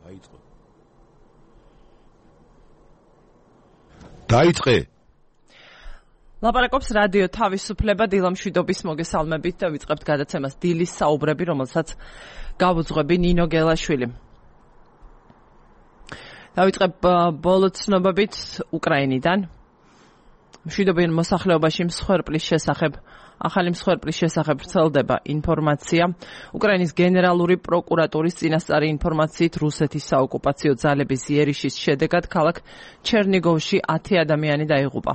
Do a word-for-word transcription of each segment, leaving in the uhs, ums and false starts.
დაიწყო. დაიწყე. ლაპარაკობს რადიო თავისუფლება დილამშვიდობის მოგესალმებით და ვიწყებთ გადაცემას დილის საუბრები, რომელსაც გავუძღვები ნინო გელაშვილი. დავიწყებ ბოლო ცნობებით უკრაინიდან. მშვიდობიან მოსახლეობაში მსხვერპლის შესახებ ახალი მსხვერპლის შესახებ ვრცელდება ინფორმაცია. უკრაინის გენერალური პროკურატურის წინასწარი ინფორმაციით რუსეთის საოკუპაციო ძალების იერიშის შედეგად ქალაქ ჩერნიგოვში ათი ადამიანი დაიღუპა.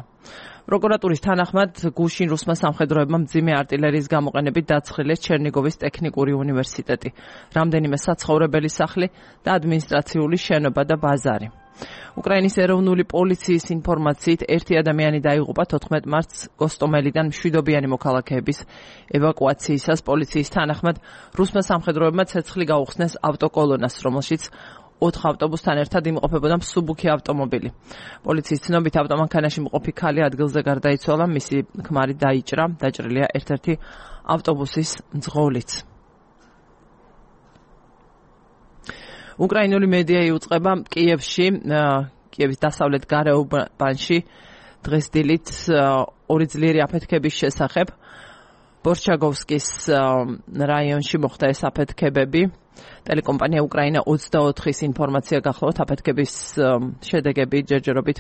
პროკურატურის თანახმად გუშინ რუსმა სამხედროებმა მძიმე артиლერიის გამოყენებით დაცხილეს ჩერნიგოვის ტექნიკური უნივერსიტეტი, რამდენიმე საცხოვრებელი სახლი და ადმინისტრაციული შენობა და ბაზარი. უკრაინის ეროვნული პოლიციის ინფორმაციით ერთი ადამიანი დაიღუპა თოთხმეტ მარტს გოსტომელიდან მშვიდობიანი მოქალაქეების ევაკუაციისას. პოლიციის თანახმად რუსმა სამხედროებმა ცეცხლი გაუხსნეს ავტოკოლონას, რომელშიც ოთხ ავტობუსთან ერთად იმყოფებოდა მსუბუქი ავტომობილი. პოლიციის ცნობით ავტომანქანაში მყოფი ქალი ადგილზე გარდაიცვალა, მისი ქმარი დაიჭრა, დაჭრილია ერთ-ერთი ავტობუსის მძღოლიც. უკრაინული მედია იუწყება კიევში, კიევის დასავლეთ გარეუბანში დღეს დილით ორი ძლიერი აფეთქების შესახებ. ბორჩაგოვსკის რაიონში მოხდა ეს აფეთქებები. ტელეკომპანია უკრაინა ოცდაოთხის ინფორმაცია გახლავთ, აფეთქების შედეგები ჯერჯერობით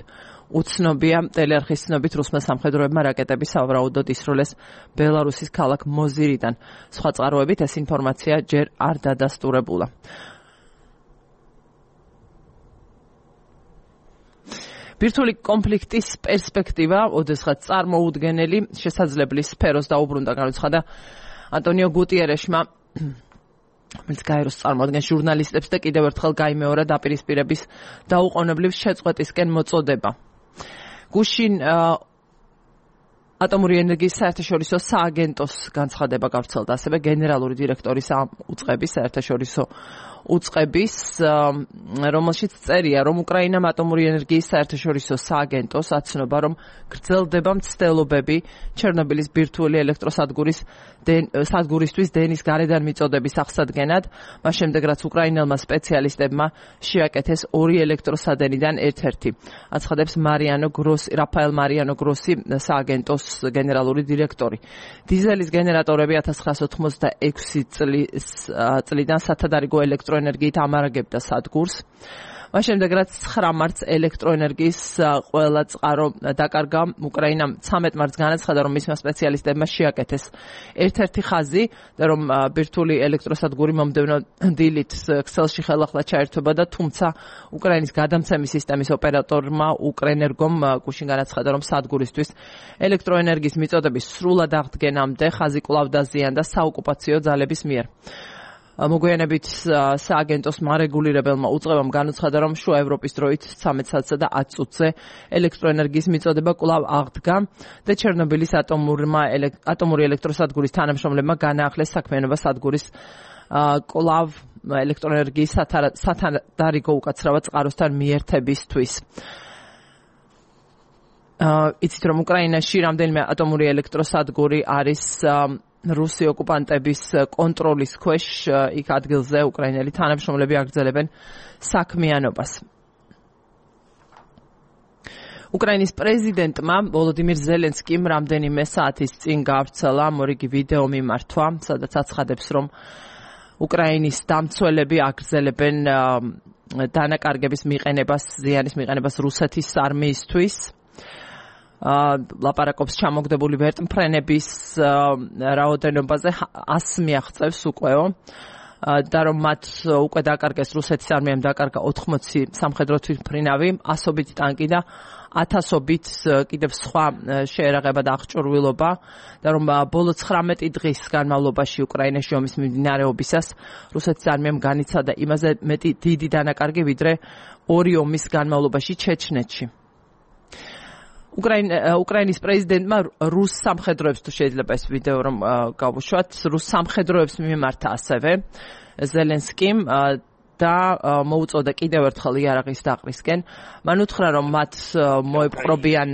უცნობია. ტელეარხის ცნობით რუსმა სამხედროებმა რაკეტები სავარაუდოდ ისროლეს ბელარუსის ქალაქ მოზირიდან. სხვა წყაროებით ეს ინფორმაცია ჯერ არ დადასტურებულა. ბირთვული კონფლიქტის პერსპექტივა ოდესღაც წარმოუდგენელი შესაძლებელი სფეროს დაუბრუნდა, განაცხადა ანტონიო გუტიერეშმა, რომელიც გაეროს წარმოადგენს ჟურნალისტებს და კიდევ ერთხელ გაიმეორა დაპირისპირების დაუყოვნებლივ შეწყვეტისკენ მოწოდება. გუშინ ატომური ენერგიის საერთაშორისო სააგენტოს განცხადება გავრცელდა, ასევე გენერალური დირექტორის უწყების საერთაშორისო უწყების, რომელშიც წერია, რომ უკრაინამ ატომური ენერგიის საერთაშორისო სააგენტოს აცნობა, რომ გრძელდება მცდელობები ჩერნობილის ბირთვული ელექტროსადგურის სადგურისთვის დენის გარედან მიწოდების აღსადგენად, მას შემდეგ რაც უკრაინელმა სპეციალისტებმა შეაკეთეს ორი ელექტროსადენიდან ერთ-ერთი. აცხადებს მარიანო გროსი, რაფაელ მარიანო გროსი, სააგენტოს გენერალური დირექტორი. დიზელის გენერატორები ათას ცხრაასი ოცდაექვსი წლიდან სათადარიგო ელექტროენერგიით ამარაგებდა სადგურს. მას შემდეგ რაც ცხრა მარტს ელექტროენერგიის ყველა წყარო დაკარგა, უკრაინამ ცამეტ მარტს განაცხადა, რომ მისმა სპეციალისტებმა შეაკეთეს ერთ-ერთი ხაზი და რომ ბირთვული ელექტროსადგური მომდევნო დილით ქსელში ხელახლა ჩაერთვება და თუმცა უკრაინის გადამცემის სისტემის ოპერატორმა უკრენერგომ გუშინ განაცხადა, რომ სადგურისთვის ელექტროენერგიის მიწოდების სრულად აღდგენამდე ხაზი კვლავ დაზიანდა საოკუპაციო ძალების მიერ. მოგვიანებით სააგენტოს მარეგულირებელმა უწყებამ განაცხადა, რომ შუა ევროპის დროით ცამეტ საათსა და ათი წუთზე ელექტროენერგიის მიწოდება კვლავ აღდგა და ჩერნობილის ატომური ელექტროსადგურის თანამშრომლებმა განაახლეს საქმიანობა სადგურის კვლავ ელექტროენერგიის სათადარიგო უკაცრავად წყაროსთან მიერთებისთვის. იცით, რომ უკრაინაში რამდენიმე ატომური ელექტროსადგური არის რუსი ოკუპანტების კონტროლის ქვეშ, იქ ადგილზე უკრაინელი თანამშრომლები აგრძელებენ საქმიანობას. უკრაინის პრეზიდენტმა ვოლოდიმირ ზელენსკიმ რამდენიმე საათის წინ გაავრცელა მორიგი ვიდეო მიმართვა, სადაც აცხადებს, რომ უკრაინის დამცველები აგრძელებენ დანაკარგების მიყენებას, ზიანის მიყენებას რუსეთის არმიისთვის. ლაპარაკობს ჩამოგდებული ვერტმფრენების რაოდენობაზე ასს მიაღწევს უკვე და რომ მათ უკვე დაკარგეს რუსეთის არმიამ დაკარგა ოთხმოცი სამხედრო თვითმფრინავი, ასობით ტანკი და ათასობით კიდევ სხვა შეერაღება და აღჭურვილობა და რომ ბოლო ცხრამეტი დღის განმავლობაში უკრაინაში ომის მიმდინარეობისას რუსეთის არმიამ განიცადა იმაზე მეტი დიდი დანაკარგი, ვიდრე ორი ომის განმავლობაში ჩეჩნეთში. უკრაინის პრეზიდენტმა რუს სამხედროებს, თუ შეიძლება ეს ვიდეო რომ გავუშვათ, რუს სამხედროებს მიმართა ასევე ზელენსკიმ და მოუწოდა კიდევ ერთხელ იარაღის დაყრისკენ. მან უთხრა, რომ მათ მოეპყრობიან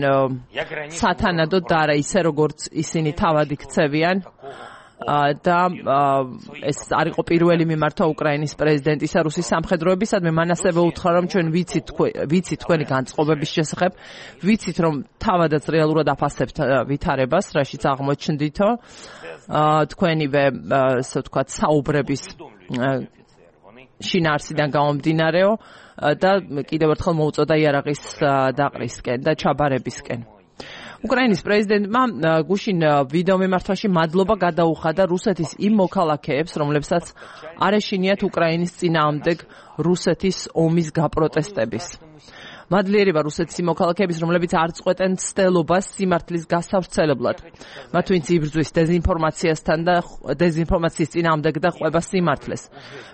სათანადოდ და არა ისე, როგორც ისინი თავად იქცევიან და ეს არ იყო პირველი მიმართვა უკრაინის პრეზიდენტისა რუსის სამხედროებისადმი. მან ასევე უთხრა, რომ ჩვენ ვიცით ვიცით თქვენი განწყობების შესახებ, ვიცით რომ თავადაც რეალურად აფასებთ ვითარებას, რაშიც აღმოჩნდითო თქვენივე ასე ვთქვათ საუბრების შინაარსიდან გამომდინარეო და კიდევ ერთხელ მოუწოდა იარაღის დაყრისკენ და ჩაბარებისკენ. უკრაინის პრეზიდენტმა გუშინ ვიდეო მიმართვაში მადლობა გადაუხადა რუსეთის იმ მოქალაქეებს, რომლებსაც არ ეშინიათ უკრაინის წინააღმდეგ რუსეთის ომის გაპროტესტების. მადლიერება რუსეთის მოქალაქეების, რომლებიც არ წყვეტენ ცდელობას სიმართლის გასავრცელებლად. მათ ვინც იბრძვის დეზინფორმაციასთან და დეზინფორმაციის წინააღმდეგ და ყვება სიმართლეს.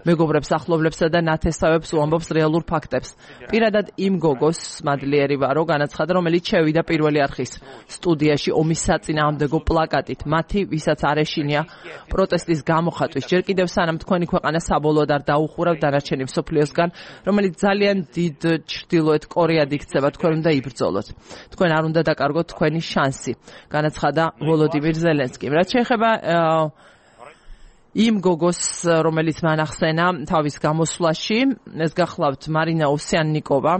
მეგობრებს, ახლობლებსა და ნათესავებს უამბობს რეალურ ფაქტებს. პირადად იმ გოგოს მადლიერება რო განაცხადა, რომელიც შევიდა პირველი არხის სტუდიაში ომის საწინააღმდეგო პლაკატით. მათი, ვისაც არ ეშინია პროტესტის გამოხატვის. ჯერ კიდევ სანამ თქვენი ქვეყანა საბოლოოდ არ დაუხურავ დანარჩენი მსოფლიოსგან, რომელიც ძალიან დიდ ჩრდილოეთ კორეად იქცება, თქვენ უნდა იბრძოლოთ. თქვენ არ უნდა დაკარგოთ თქვენი შანსი, განაცხადა ვოლოდიმირ ზელენსკიმ. რაც შეეხება იმ გოგოს, რომელიც მან ახსენა თავის გამოსვლაში, ეს გახლავთ მარინა ოვსიანნიკოვა,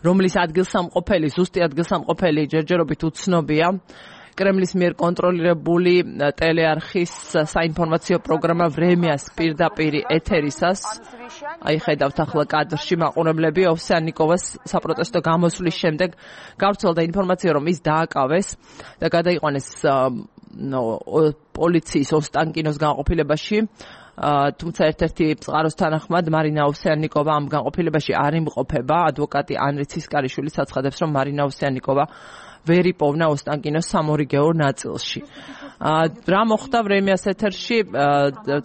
რომლის ადგილსამყოფელი, ზუსტი ადგილსამყოფელი ჯერჯერობით უცნობია. კრემლის მიერ კონტროლირებული ტელეარხის საინფორმაციო პროგრამა ვრემიას პირდაპირ ეთერისას, აი ხედავთ ახლა კადრში მაყურებლები, ოვსიანნიკოვას საპროტესტო გამოსვლის შემდეგ გავრცელდა ინფორმაცია, რომ ის დააკავეს და გადაიყვანეს პოლიციის ოსტანკინოს განყოფილებაში. თუმცა ერთ-ერთი წყაროს თანახმად მარინა ოვსიანნიკოვა ამ განყოფილებაში არ იმყოფება. ადვოკატი ანრი ცისკარიშვილი აცხადებს, რომ მარინა ოვსიანნიკოვა ვერ იპოვნა ოსტანკინოს სამორიგეო ნაწილში. რა მოხდა ვრემიას ეთერში?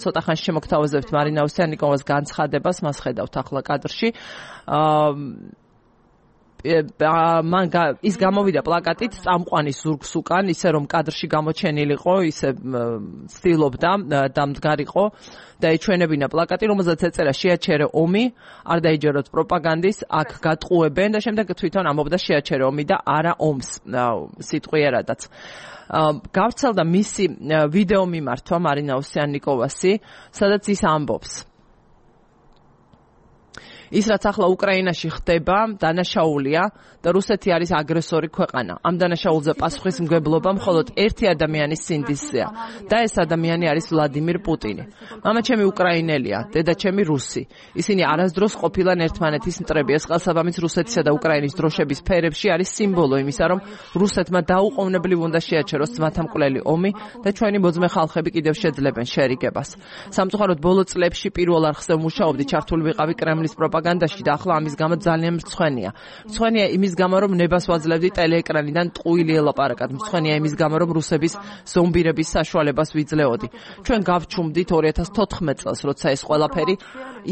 ცოტა ხანში შემოგთავაზებთ მარინა ოვსიანნიკოვას განცხადებას, მას ხედავთ ახლა კადრში. მან ის გამოვიდა პლაკატით წამყვანის ზურგს უკან, ისე რომ კადრში გამოჩენილიყო, ისე ცდილობდა დამდგარიყო და ეჩვენებინა პლაკატი, რომელზეც ეწერა შეაჩერე ომი, არ დაიჯეროთ პროპაგანდის, აქ გატყუებენ და შემდეგ თვითონ ამბობდა შეაჩერე ომი და არა ომს სიტყვიერადაც. გავრცელდა მისი ვიდეო მიმართვა მარინა ოვსიანნიკოვასი, სადაც ის ამბობს. ის რაც ახლა უკრაინაში ხდება, დანაშაულია და რუსეთი არის აგრესორი ქვეყანა. ამ დანაშაულზე პასუხისმგებლობა მხოლოდ ერთი ადამიანის სინდისზეა და ეს ადამიანი არის ვლადიმირ პუტინი. მამაჩემი უკრაინელია, დედაჩემი რუსი. ისინი არასდროს ყოფილან ერთმანეთის მტრები. ეს ყალსაბამის რუსეთისა და უკრაინის დროშების ფერებში არის სიმბოლო იმისა, რომ რუსეთმა დაუყოვნებლივ უნდა შეაჩეროს ძმათამკვლელი ომი და ჩვენი მოძმე ხალხები კიდევ შეძლებენ შერიგებას. სამწუხაროდ ბოლო წლებში პირველ არხზე მუშაობდი, ჩართული ვიყავი კრემლის პროპაგანდაში და ახლა ამის გამო ძალიან მრცხვენია. მრცხვენია იმის გამო, რომ ნებას ვაძლევდი ტელეეკრანიდან ტყუილი ელაპარაკად. მრცხვენია იმის გამო, რომ რუსების ზომბირების საშუალებას ვიძლეოდი. ჩვენ გავჩუმდით ორი ათას თოთხმეტ წელს, როცა ეს ყველაფერი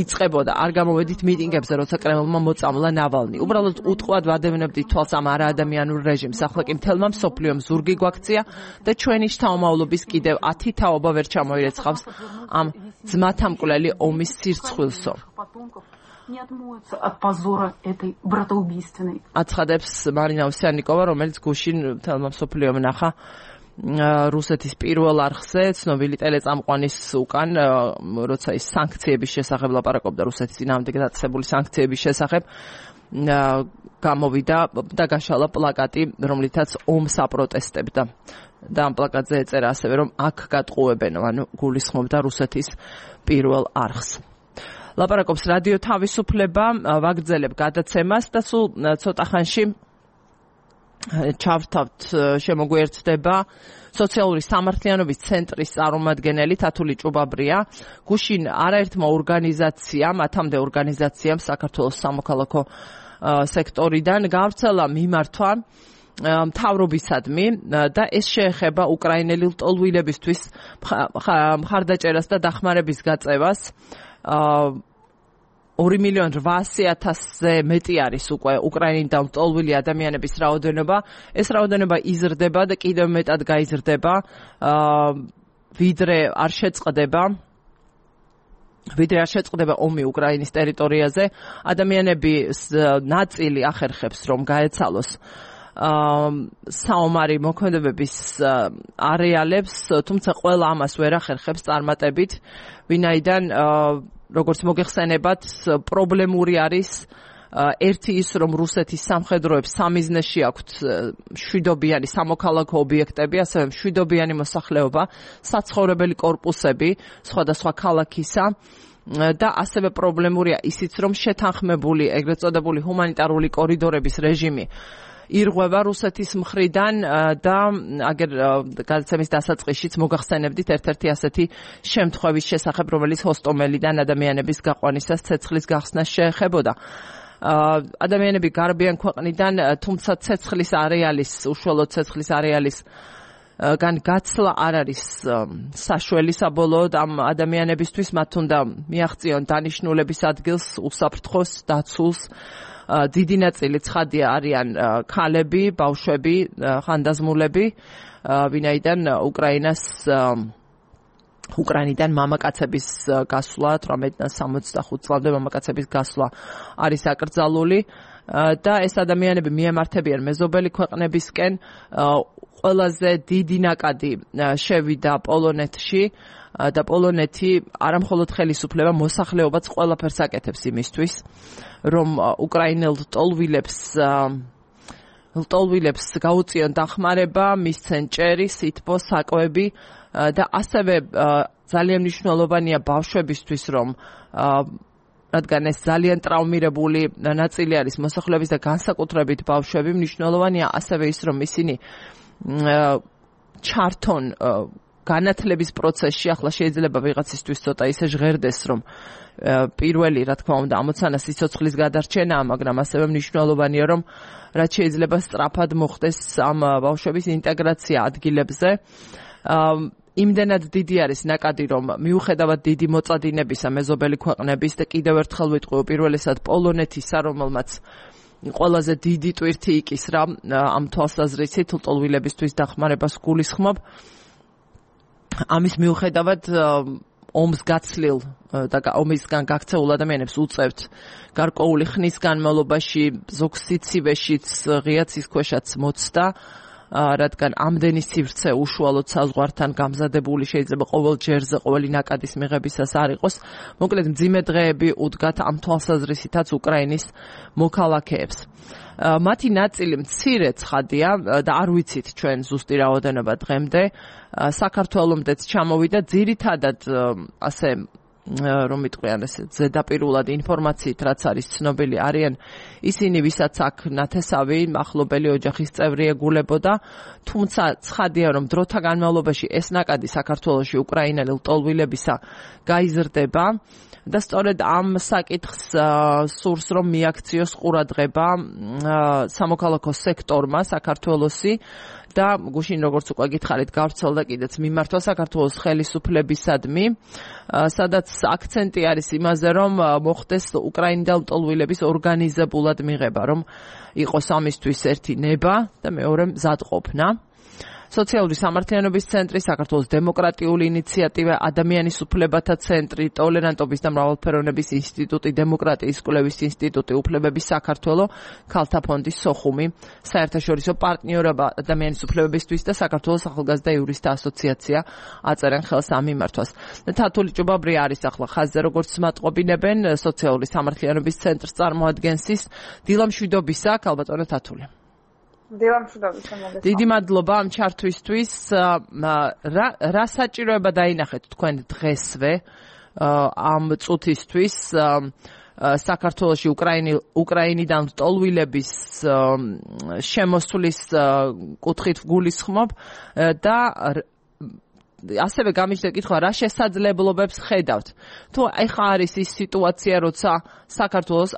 იწყებოდა. არ გამოვედით მიტინგებზე, როცა კრემლმა მოწამლა ნავალნი. უბრალოდ უტყუად ვადევნებდით თვალს ამ არაადამიანურ რეჟიმს. ახლა კი მთელმა მსოფლიომ ზურგი გვაქცია და ჩვენი შთამომავლობის კიდევ ათი თაობა ვერ ჩამოირეცხავს ამ ძმათამკვლელი ომის სირცხვილსო. აცხადებს მარინა ოვსიანნიკოვა, რომელიც გუშინ თელმა მსოფლიომ ნახა რუსეთის პირველ არხზე ცნობილი ტელეწამყვანის უკან, როცა ის სანქციების შესახებ ლაპარაკობდა, რუსეთის წინააღმდეგ დაწესებული სანქციების შესახებ, გამოვიდა და გაშალა პლაკატი, რომლითაც ომს აპროტესტებდა. და ამ პლაკატზე ეწერა ასევე, რომ აქ გატყუებენ, ანუ გულისხმობდა რუსეთის პირველ არხს. ლაპარაკობს რადიო თავისუფლება, ვაგრძელებ გადაცემას და სულ ცოტა ხანში ჩავთავთ შემოგვიერთდება სოციალური სამართლიანობის ცენტრის წარმომადგენელი თათული ჭუბაბრია. გუშინ არაერთმა ორგანიზაციამ, ათამდე ორგანიზაციამ საქართველოს სამოქალაქო სექტორიდან გავრცელა მიმართვა მთავრობისადმი და ეს შეეხება უკრაინელი ლტოლვილებისთვის მხარდაჭერას და დახმარების გაწევას. ორი მილიონი რვაასი ათასზე მეტი არის უკვე უკრაინიდან ლტოლვილი ადამიანების რაოდენობა. ეს რაოდენობა იზრდება და კიდევ მეტად გაიზრდება, ვიდრე არ შეწყდება ვიდრე არ შეწყდება ომი უკრაინის ტერიტორიაზე. ადამიანების ნაწილი ახერხებს, რომ გაეცალოს საომარი მოქმედებების არეალებს, თუმცა ყველა ამას ვერ ახერხებს წარმატებით, ვინაიდან როგორც მოგეხსენებათ, პრობლემური არის ერთი ის, რომ რუსეთის სამხედროებს სამიზნეში აქვთ მშვიდობიანი სამოქალაქო ობიექტები, ასევე მშვიდობიანი მოსახლეობა, საცხოვრებელი კორპუსები სხვადასხვა ქალაქისა და ასევე პრობლემურია ისიც, რომ შეთანხმებული ეგრეთ წოდებული ჰუმანიტარული კორიდორების რეჟიმი ირღვევა რუსეთის მხრიდან და აგერ გადაცემის დასაწყისშიც მოგახსენებდით ერთ-ერთი ასეთი შემთხვევის შესახებ, რომელიც ჰოსტომელიდან ადამიანების გაყვანისას ცეცხლის გახსნას შეეხებოდა. ადამიანები გარბიან ქვეყნიდან, თუმცა ცეცხლის არეალის, უშუალოდ ცეცხლის არეალის გან გაცლა არ არის საშველი საბოლოოდ ამ ადამიანებისთვის, მათ უნდა მიაღწიონ დანიშნულების ადგილს, უსაფრთხოს, დაცულს. დიდი ნაწილი ცხადია არიან ქალები, ბავშვები, ხანდაზმულები, ვინაიდან უკრაინას უკრაინიდან მამაკაცების გასვლა თვრამეტიდან სამოცდახუთ წლამდე მამაკაცების გასვლა არის აკრძალული და ეს ადამიანები მიემართებიან მეზობელი ქვეყნებისკენ. ყველაზე დიდი ნაკადი შევიდა პოლონეთში და პოლონეთი არამხოლოდ ხელისუფლება, მოსახლეობაც ყველაფერს აკეთებს იმისთვის, რომ უკრაინელ ლტოლვილებს ლტოლვილებს გაუწიონ დახმარება, მისცენ ჭერი, სითბო, საკვები და ასევე ძალიან მნიშვნელოვანია ბავშვებისთვის, რომ რადგან ეს ძალიან ტრავმირებული ნაწილი არის მოსახლეობის და განსაკუთრებით ბავშვები, მნიშვნელოვანია ასევე ის, რომ ისინი ჩართონ განათლების პროცესში. ახლა შეიძლება ვიღაცისთვის ცოტა ისე ჟღერდეს, რომ პირველი, რა თქმა უნდა, ამოცანა სიცოცხლის გადარჩენაა, მაგრამ ასევე მნიშვნელოვანია, რომ რაც შეიძლება სწრაფად მოხდეს ამ ბავშვების ინტეგრაცია ადგილებზე. იმდენად დიდი არის ნაკადი, რომ მიუხედავად დიდი მოწადინებისა მეზობელი ქვეყნების და კიდევ ერთხელ ვიტყვი უპირველესად პოლონეთისა, რომელმაც ყველაზე დიდი ტვირთი იკისრა ამ თვალსაზრისით ლტოლვილებისთვის დახმარებას გულისხმობ. ამის მიუხედავად ომს გაცლილ და ომისგან გაქცეულ ადამიანებს უწევთ გარკვეული ხნის განმავლობაში ზოგ სიცივეშიც, ღია ცისქვეშაც მოცდა, რადგან ამდენი სივრცე უშუალოდ საზღვართან გამზადებული შეიძლება ყოველ ჯერზე, ყოველი ნაკადის მიღებისას არ იყოს. მოკლედ მძიმე დღეები უდგათ ამ თვალსაზრისითაც უკრაინის მოქალაქეებს. მათი ნაწილი მცირე ცხადია და არ ვიცით ჩვენ ზუსტი რაოდენობა დღემდე. საქართველომდეც ჩამოვიდა ძირითადად ასე რომ ვიტყვიან ესე ზედაპირულად ინფორმაციით, რაც არის ცნობილი, არიან ისინი, ვისაც აქ ნათესავი ახლობელი ოჯახის წევრი ეგულებოდა, თუმცა ცხადია, რომ დროთა განმავლობაში ეს ნაკადი საქართველოში უკრაინელი ლტოლვილებისა გაიზრდება და სწორედ ამ საკითხს სურს, რომ მიაქციოს ყურადღება სამოქალაქო სექტორმა საქართველოსი და გუშინ როგორც უკვე გითხარით, გავრცელდა კიდეც მიმართვა საქართველოს ხელისუფლებისადმი, სადაც აქცენტი არის იმაზე, რომ მოხდეს უკრაინიდან ლტოლვილების ორგანიზებულად მიღება, რომ იყოს ამისთვის ერთი ნება და მეორე მზადყოფნა. სოციალური სამართლიანობის ცენტრი, საქართველოს დემოკრატიული ინიციატივა, ადამიანის უფლებათა ცენტრი, ტოლერანტობის და მრავალფეროვნების ინსტიტუტი, დემოკრატიის კვლევის ინსტიტუტი, უფლებების საქართველო, ქალთა ფონდი სოხუმი, საერთაშორისო პარტნიორობა ადამიანის უფლებებისთვის და საქართველოს ახალგაზრდა იურისტთა ასოციაცია აწერენ ხელს ამ მიმართვას. თათული ჭუბაბრი არის ახლა ხაზზე, როგორც მატყობინებენ, სოციალური სამართლიანობის ცენტრს წარმოადგენს ის. დილა მშვიდობისა, ქალბატონო თათული. დიდი მადლობა ამ ჩართვისთვის. რა საჭიროება დაინახეთ თქვენ დღესვე ამ წუთისთვის საქართველოში უკრაინიდან ლტოლვილების შემოსვლის კუთხით გულისხმობ და ასევე გამიჩნდა კითხვა, რა შესაძლებლობებს ხედავთ. თუ ეხა არის ის სიტუაცია, როცა საქართველოს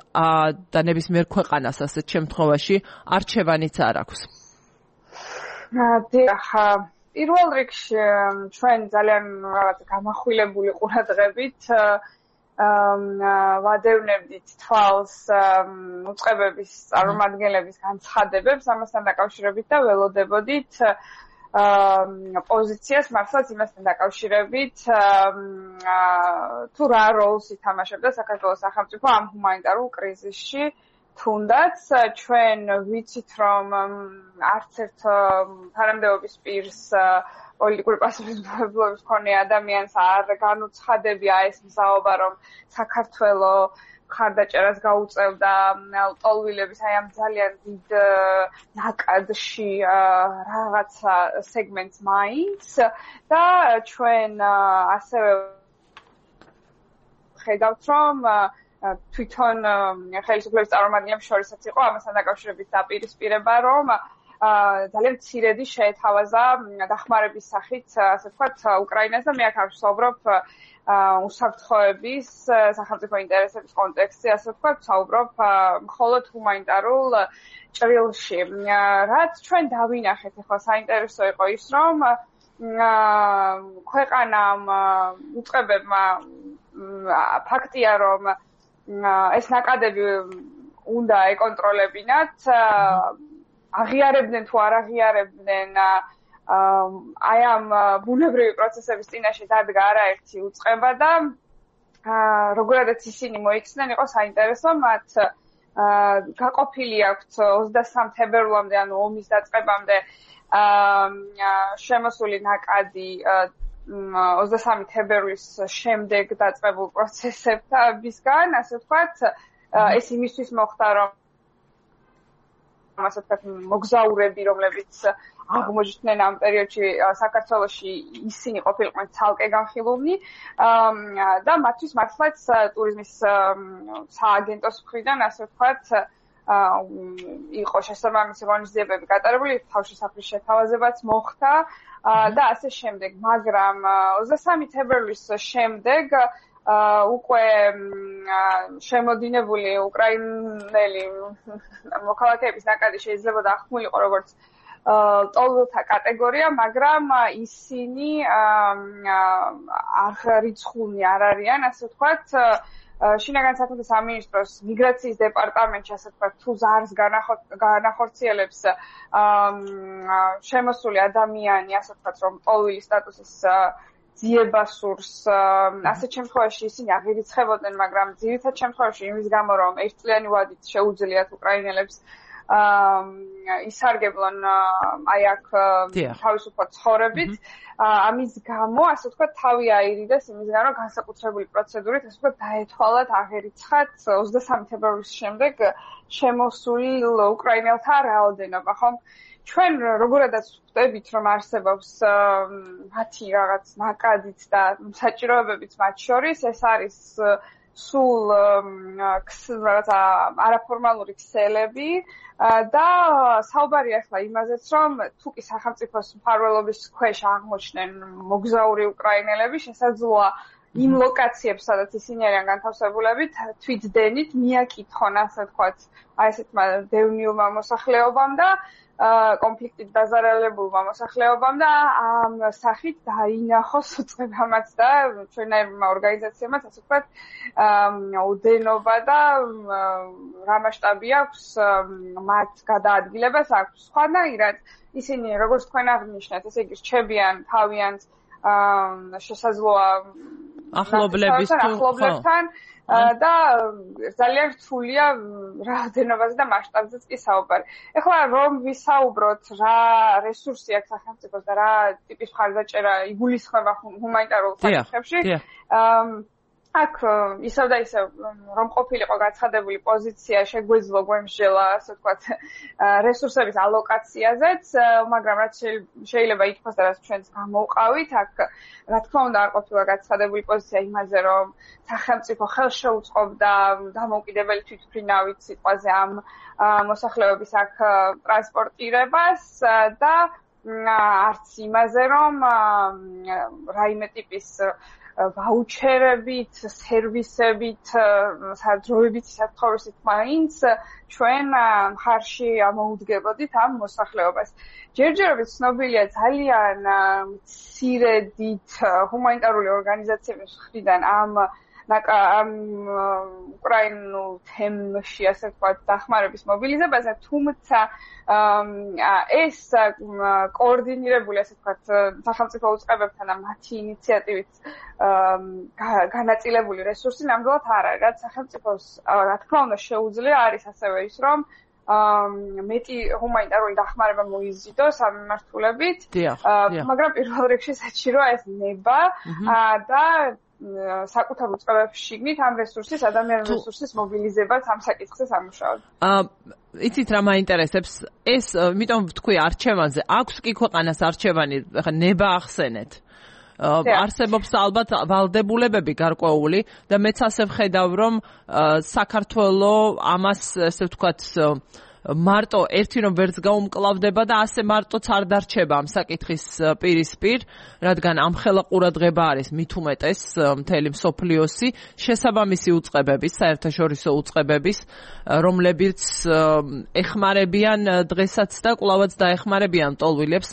და ნებისმიერ ქვეყანას ასეთ შემთხვევაში არჩევანიც არ აქვს. დიახ, პირველ რიგში ჩვენ ძალიან რაღაც გამახვილებული ყურადღებით ვადევნებდით თვალს უწყებების წარმომადგენლების განცხადებებს ამასთან დაკავშირებით და ველოდებოდით პოზიციას მართლაც იმასთან დაკავშირებით თუ რა როლს ითამაშებდა საქართველოს სახელმწიფო ამ ჰუმანიტარულ კრიზისში თუნდაც ჩვენ ვიცით რომ არც ერთ თანამდებობის პირს პოლიტიკური პასუხისმგებლობის მქონე ადამიანს არ განუცხადებია ეს მზაობა რომ საქართველოს ხარდაჭერას გაუწევდა ტოლვილების აი ამ ძალიან დიდ ნაკადში რაღაცა სეგმენტს მაინც და ჩვენ ასევე ხედავთ რომ თვითონ ხელისუფლების წარმომადგენლებს შორისაც იყო ამასთან დაკავშირებით დაპირისპირება რომ ძალიან მცირედი შეეთავაზა დახმარების სახით ასე ვთქვათ უკრაინას და მე აქ არ ვსაუბრობ უსაფრთხოების სახელმწიფო ინტერესების კონტექსტში ასე ვთქვათ ვსაუბრობ მხოლოდ ჰუმანიტარულ ჭრილში რაც ჩვენ დავინახეთ ახლა საინტერესო იყო ის რომ ქვეყანამ უწყებებმა ფაქტია რომ ეს ნაკადები უნდა ეკონტროლებინათ აღიარებდნენ თუ არ აღიარებდნენ აი ამ ბუნებრივი პროცესების წინაშე დადგა არაერთი უწყება და როგორადაც ისინი მოიქცნენ იყო საინტერესო მათ გაყოფილი აქვთ ოცდასამ თებერვლამდე ანუ ომის დაწყებამდე შემოსული ნაკადი ოცდასამი თებერვლის შემდეგ დაწყებულ პროცესებისგან ასე ვთქვათ ეს იმისთვის მოხდა რომ ასე ვთქვათ მოგზაურები რომლებიც აღმოჩნდნენ ამ პერიოდში საქართველოში ისინი ყოფილიყვნენ ცალკე განხილულნი და მათთვის მართლაც ტურიზმის სააგენტოს მხრიდან ასე ვთქვათ იყო შესაბამისი ღონისძიებები გატარებული თავშესაფრის შეთავაზებაც მოხდა და ასე შემდეგ მაგრამ ოცდასამი თებერვლის შემდეგ უკვე შემოდინებული უკრაინელი მოქალაქეების ნაკადი შეიძლება დაახმულიყო როგორც ტოლვილთა კატეგორია, მაგრამ ისინი არ რიცხულნი არ არიან, ასე ვთქვათ, შინაგან საქმეთა სამინისტროს მიგრაციის დეპარტამენტში, ასე ვთქვათ, თუ ზარს განახორციელებს შემოსული ადამიანი, ასე ვთქვათ, რომ ტოლვილის სტატუსის ძიება სურს, ასეთ შემთხვევაში ისინი აღირიცხებოდნენ, მაგრამ ძირითად შემთხვევაში იმის გამო, რომ ერთწლიანი ვადით შეუძლიათ უკრაინელებს ისარგებლონ აი აქ თავისუფლად ცხოვრებით ამის გამო ასე ვთქვათ თავი აირიდეს იმის გამო რომ განსაკუთრებული პროცედურით ასე ვთქვათ დაეთვალათ აღერიცხათ ოცდასამი თებერვლის შემდეგ შემოსული უკრაინელთა რაოდენობა ხომ ჩვენ როგორადაც ვხვდებით რომ არსებობს მათი რაღაც ნაკადიც და საჭიროებებიც მათ შორის ეს არის სულ რაღაცა არაფორმალური ქსელები და საუბარია ახლა იმაზეც რომ თუკი სახელმწიფოს მფარველობის ქვეშ აღმოჩნდნენ მოგზაური უკრაინელები შესაძლოა იმ ლოკაციებს სადაც ისინი არიან განთავსებულები თვითდენით მიაკითხონ ასე ვთქვათ აი ესეთმა დევნილმა მოსახლეობამ და კონფლიქტით დაზარალებულმა მოსახლეობამ და ამ სახით დაინახოს უწყებამაც და ჩვენერმა ორგანიზაციებმაც ასე ვთქვათ უდენობა და რა მასშტაბი აქვს მათ გადაადგილებას აქვს სხვანაირად ისინი როგორც თქვენ აღნიშნეთ ესე იგი რჩებიან თავიანთ შესაძლოა ახლობლების თუ ახლობლებთან და ძალიან რთულია რაოდენობაზე და მასშტაბზეც კი საუბარი. ეხლა რომ ვისაუბროთ რა რესურსი აქვს სახელმწიფოს და რა ტიპის მხარდაჭერა იგულისხმება ჰუმანიტარულ საკითხებში, აქ ისევ და ისევ რომ ყოფილიყო გაცხადებული პოზიცია შეგვეძლო გვემსჯელა ასე ვთქვათ რესურსების ალოკაციაზეც, მაგრამ რაც შეიძლება ითქვას და რაც ჩვენც გამოვყავით, აქ რა თქმა უნდა არ ყოფილა გაცხადებული პოზიცია იმაზე, რომ სახელმწიფო ხელს შეუწყობდა დამოუკიდებელი თვითმფრინავით სიტყვაზე ამ მოსახლეობის აქ ტრანსპორტირებას და არც იმაზე, რომ რაიმე ტიპის ვაუჩერებით, სერვისებით, სადროებით, საფრთხეობით მაინც ჩვენ მხარში ამოუდგებოდით ამ მოსახლეობას. ჯერჯერობით ცნობილია ძალიან მცირედით ჰუმანიტარული ორგანიზაციების მხრიდან ამ ამ უკრაინულ თემში ასე ვთქვათ დახმარების მობილიზებაზე, თუმცა ეს კოორდინირებული ასე ვთქვათ სახელმწიფო უწყებებთან და მათი ინიციატივით განაწილებული რესურსი ნამდვილად არ არის, რაც სახელმწიფოს რა თქმა უნდა შეუძლია არის ასევე ის, რომ მეტი ჰუმანიტარული დახმარება მოიზიდოს ამ მიმართულებით, მაგრამ პირველ რიგში საჭიროა ეს ნება და საკუთარ უწყებებში შიგნით ამ რესურსის, ადამიანური რესურსის მობილიზებას ამ საკითხზე სამუშაოდ. აა იცით რა მაინტერესებს? ეს იმიტომ ვთქვი არჩევანზე, აქვს კი ქვეყანას არჩევანი, ხა ნება ახსენეთ. არსებობს ალბათ ვალდებულებები გარკვეული და მეც ასე ვხედავ, რომ საქართველოს ამას ესე ვთქვათ მარტო ერთი რომ ვერც გაუმკლავდება და ასე მარტოც არ დარჩება ამ საკითხის პირისპირ, რადგან ამხელა ყურადღება არის მით უმეტეს მთელი მსოფლიოსი შესაბამისი უწყებების, საერთაშორისო უწყებების, რომლებიც ეხმარებიან დღესაც და კვლავაც დაეხმარებიან მტოლვილებს,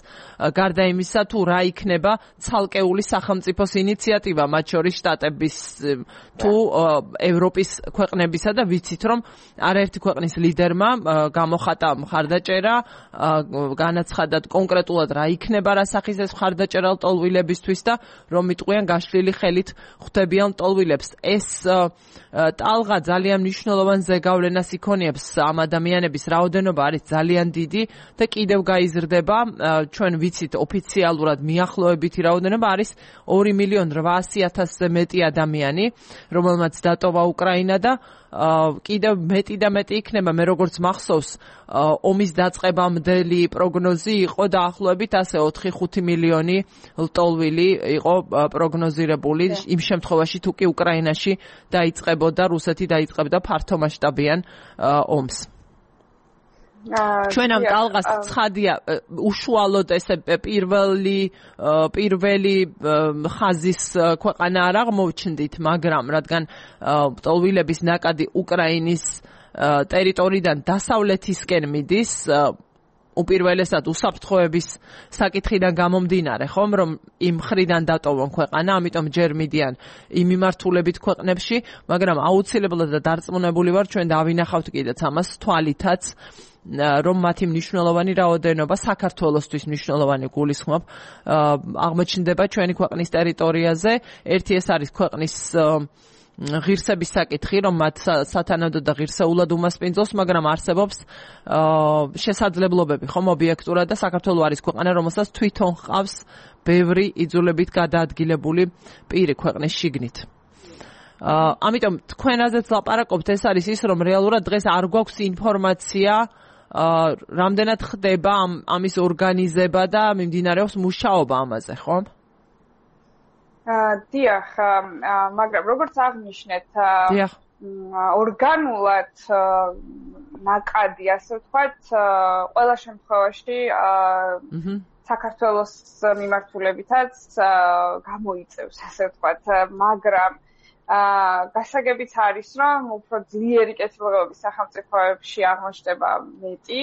გარდა იმისა თუ რა იქნება ცალკეული სახელმწიფოს ინიციატივა, მათ შორის შტატების თუ ევროპის ქვეყნებისა და ვიცით რომ არაერთი ქვეყნის ლიდერმა გამოხატა მხარდაჭერა, განაცხადათ კონკრეტულად რა იქნება რა სახის ეს მხარდაჭერა მტოლვილებისთვის და რომ იტყვიან გაშლილი ხელით ხვდებიან მტოლვილებს. ეს ტალღა ძალიან მნიშვნელოვან ზეგავლენას იქონიებს ამ ადამიანების რაოდენობა არის ძალიან დიდი და კიდევ გაიზრდება. ჩვენ ვიცით ოფიციალურად მიახლოებითი რაოდენობა არის ორი მილიონი რვაასი ათასზე მეტი ადამიანი, რომელმაც დატოვა უკრაინა და კიდევ მეტი და მეტი იქნება. მე როგორც მახსოვს, ომის დაწყებამდელი პროგნოზი იყო დაახლოებით ასე ოთხი ხუთი მილიონი ლტოლვილი იყო პროგნოზირებული იმ შემთხვევაში თუ კი უკრაინაში დაიწყებოდა, რუსეთი დაიწყებდა ფართომასშტაბიან ომს. ჩვენ ამ ტალღას ცხადია უშუალოდ ესე პირველი პირველი ხაზის ქვეყანა არ აღმოჩნდით, მაგრამ რადგან მტოლვილების ნაკადი უკრაინის ტერიტორიიდან დასავლეთისკენ მიდის, უპირველესად უსაფრთხოების საკითხიდან გამომდინარე, ხომ, რომ იმ მხრიდან დატოვონ ქვეყანა, ამიტომ ჯერ მიდიან იმ მიმართულებით ქვეყნებში, მაგრამ აუცილებლად და დარწმუნებული ვარ, ჩვენ დავინახავთ კიდეც ამას თვალითაც, რომ მათი მნიშვნელოვანი რაოდენობა საქართველოსთვის მნიშვნელოვანი გულისხმობ აღმოჩნდება ჩვენი ქვეყნის ტერიტორიაზე. ერთი ეს არის ქვეყნის ღირსების საკითხი, რომ მათ სათანადო და ღირსეულად უმასპინძლოს, მაგრამ არსებობს შესაძლებლობები, ხომ, ობიექტურად და საქართველოს არის ქვეყანა, რომელსაც თვითონ ჰყავს ბევრი იძულებით გადაადგილებული პირი ქვეყნის შიგნით. ამიტომ თქვენაზეც ლაპარაკობთ, ეს არის ის, რომ რეალურად დღეს არ გვაქვს ინფორმაცია რამდენად ხდება ამის ორგანიზება და მიმდინარეობს მუშაობა ამაზე, ხომ? დიახ, მაგრამ როგორც აღნიშნეთ, ორგანულად ნაკადი, ასე ვთქვათ, ყველა შემთხვევაში საქართველოს მიმართულებითაც გამოიწევს, ასე ვთქვათ, მაგრამ გასაგებიც არის, რომ უფრო ძლიერი კეთილდღეობის სახელმწიფოებში აღმოჩნდება მეტი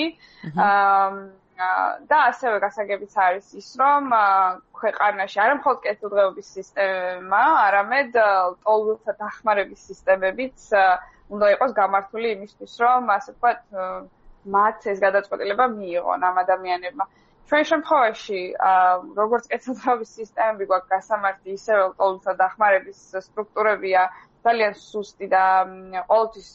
და ასევე გასაგებიც არის ის, რომ ქვეყანაში არა მხოლოდ კეთილდღეობის სისტემა, არამედ ლტოლვილთა დახმარების სისტემებიც უნდა იყოს გამართული იმისთვის, რომ ასე ვთქვათ, მათ ეს გადაწყვეტილება მიიღონ ამ ადამიანებმა. ჩვენ შემთხვევაში, როგორც კეთილდღეობის სისტემები გვაქვს გასამართი, ისევე ლტოლვილთა დახმარების სტრუქტურებია ძალიან სუსტი და ყოველთვის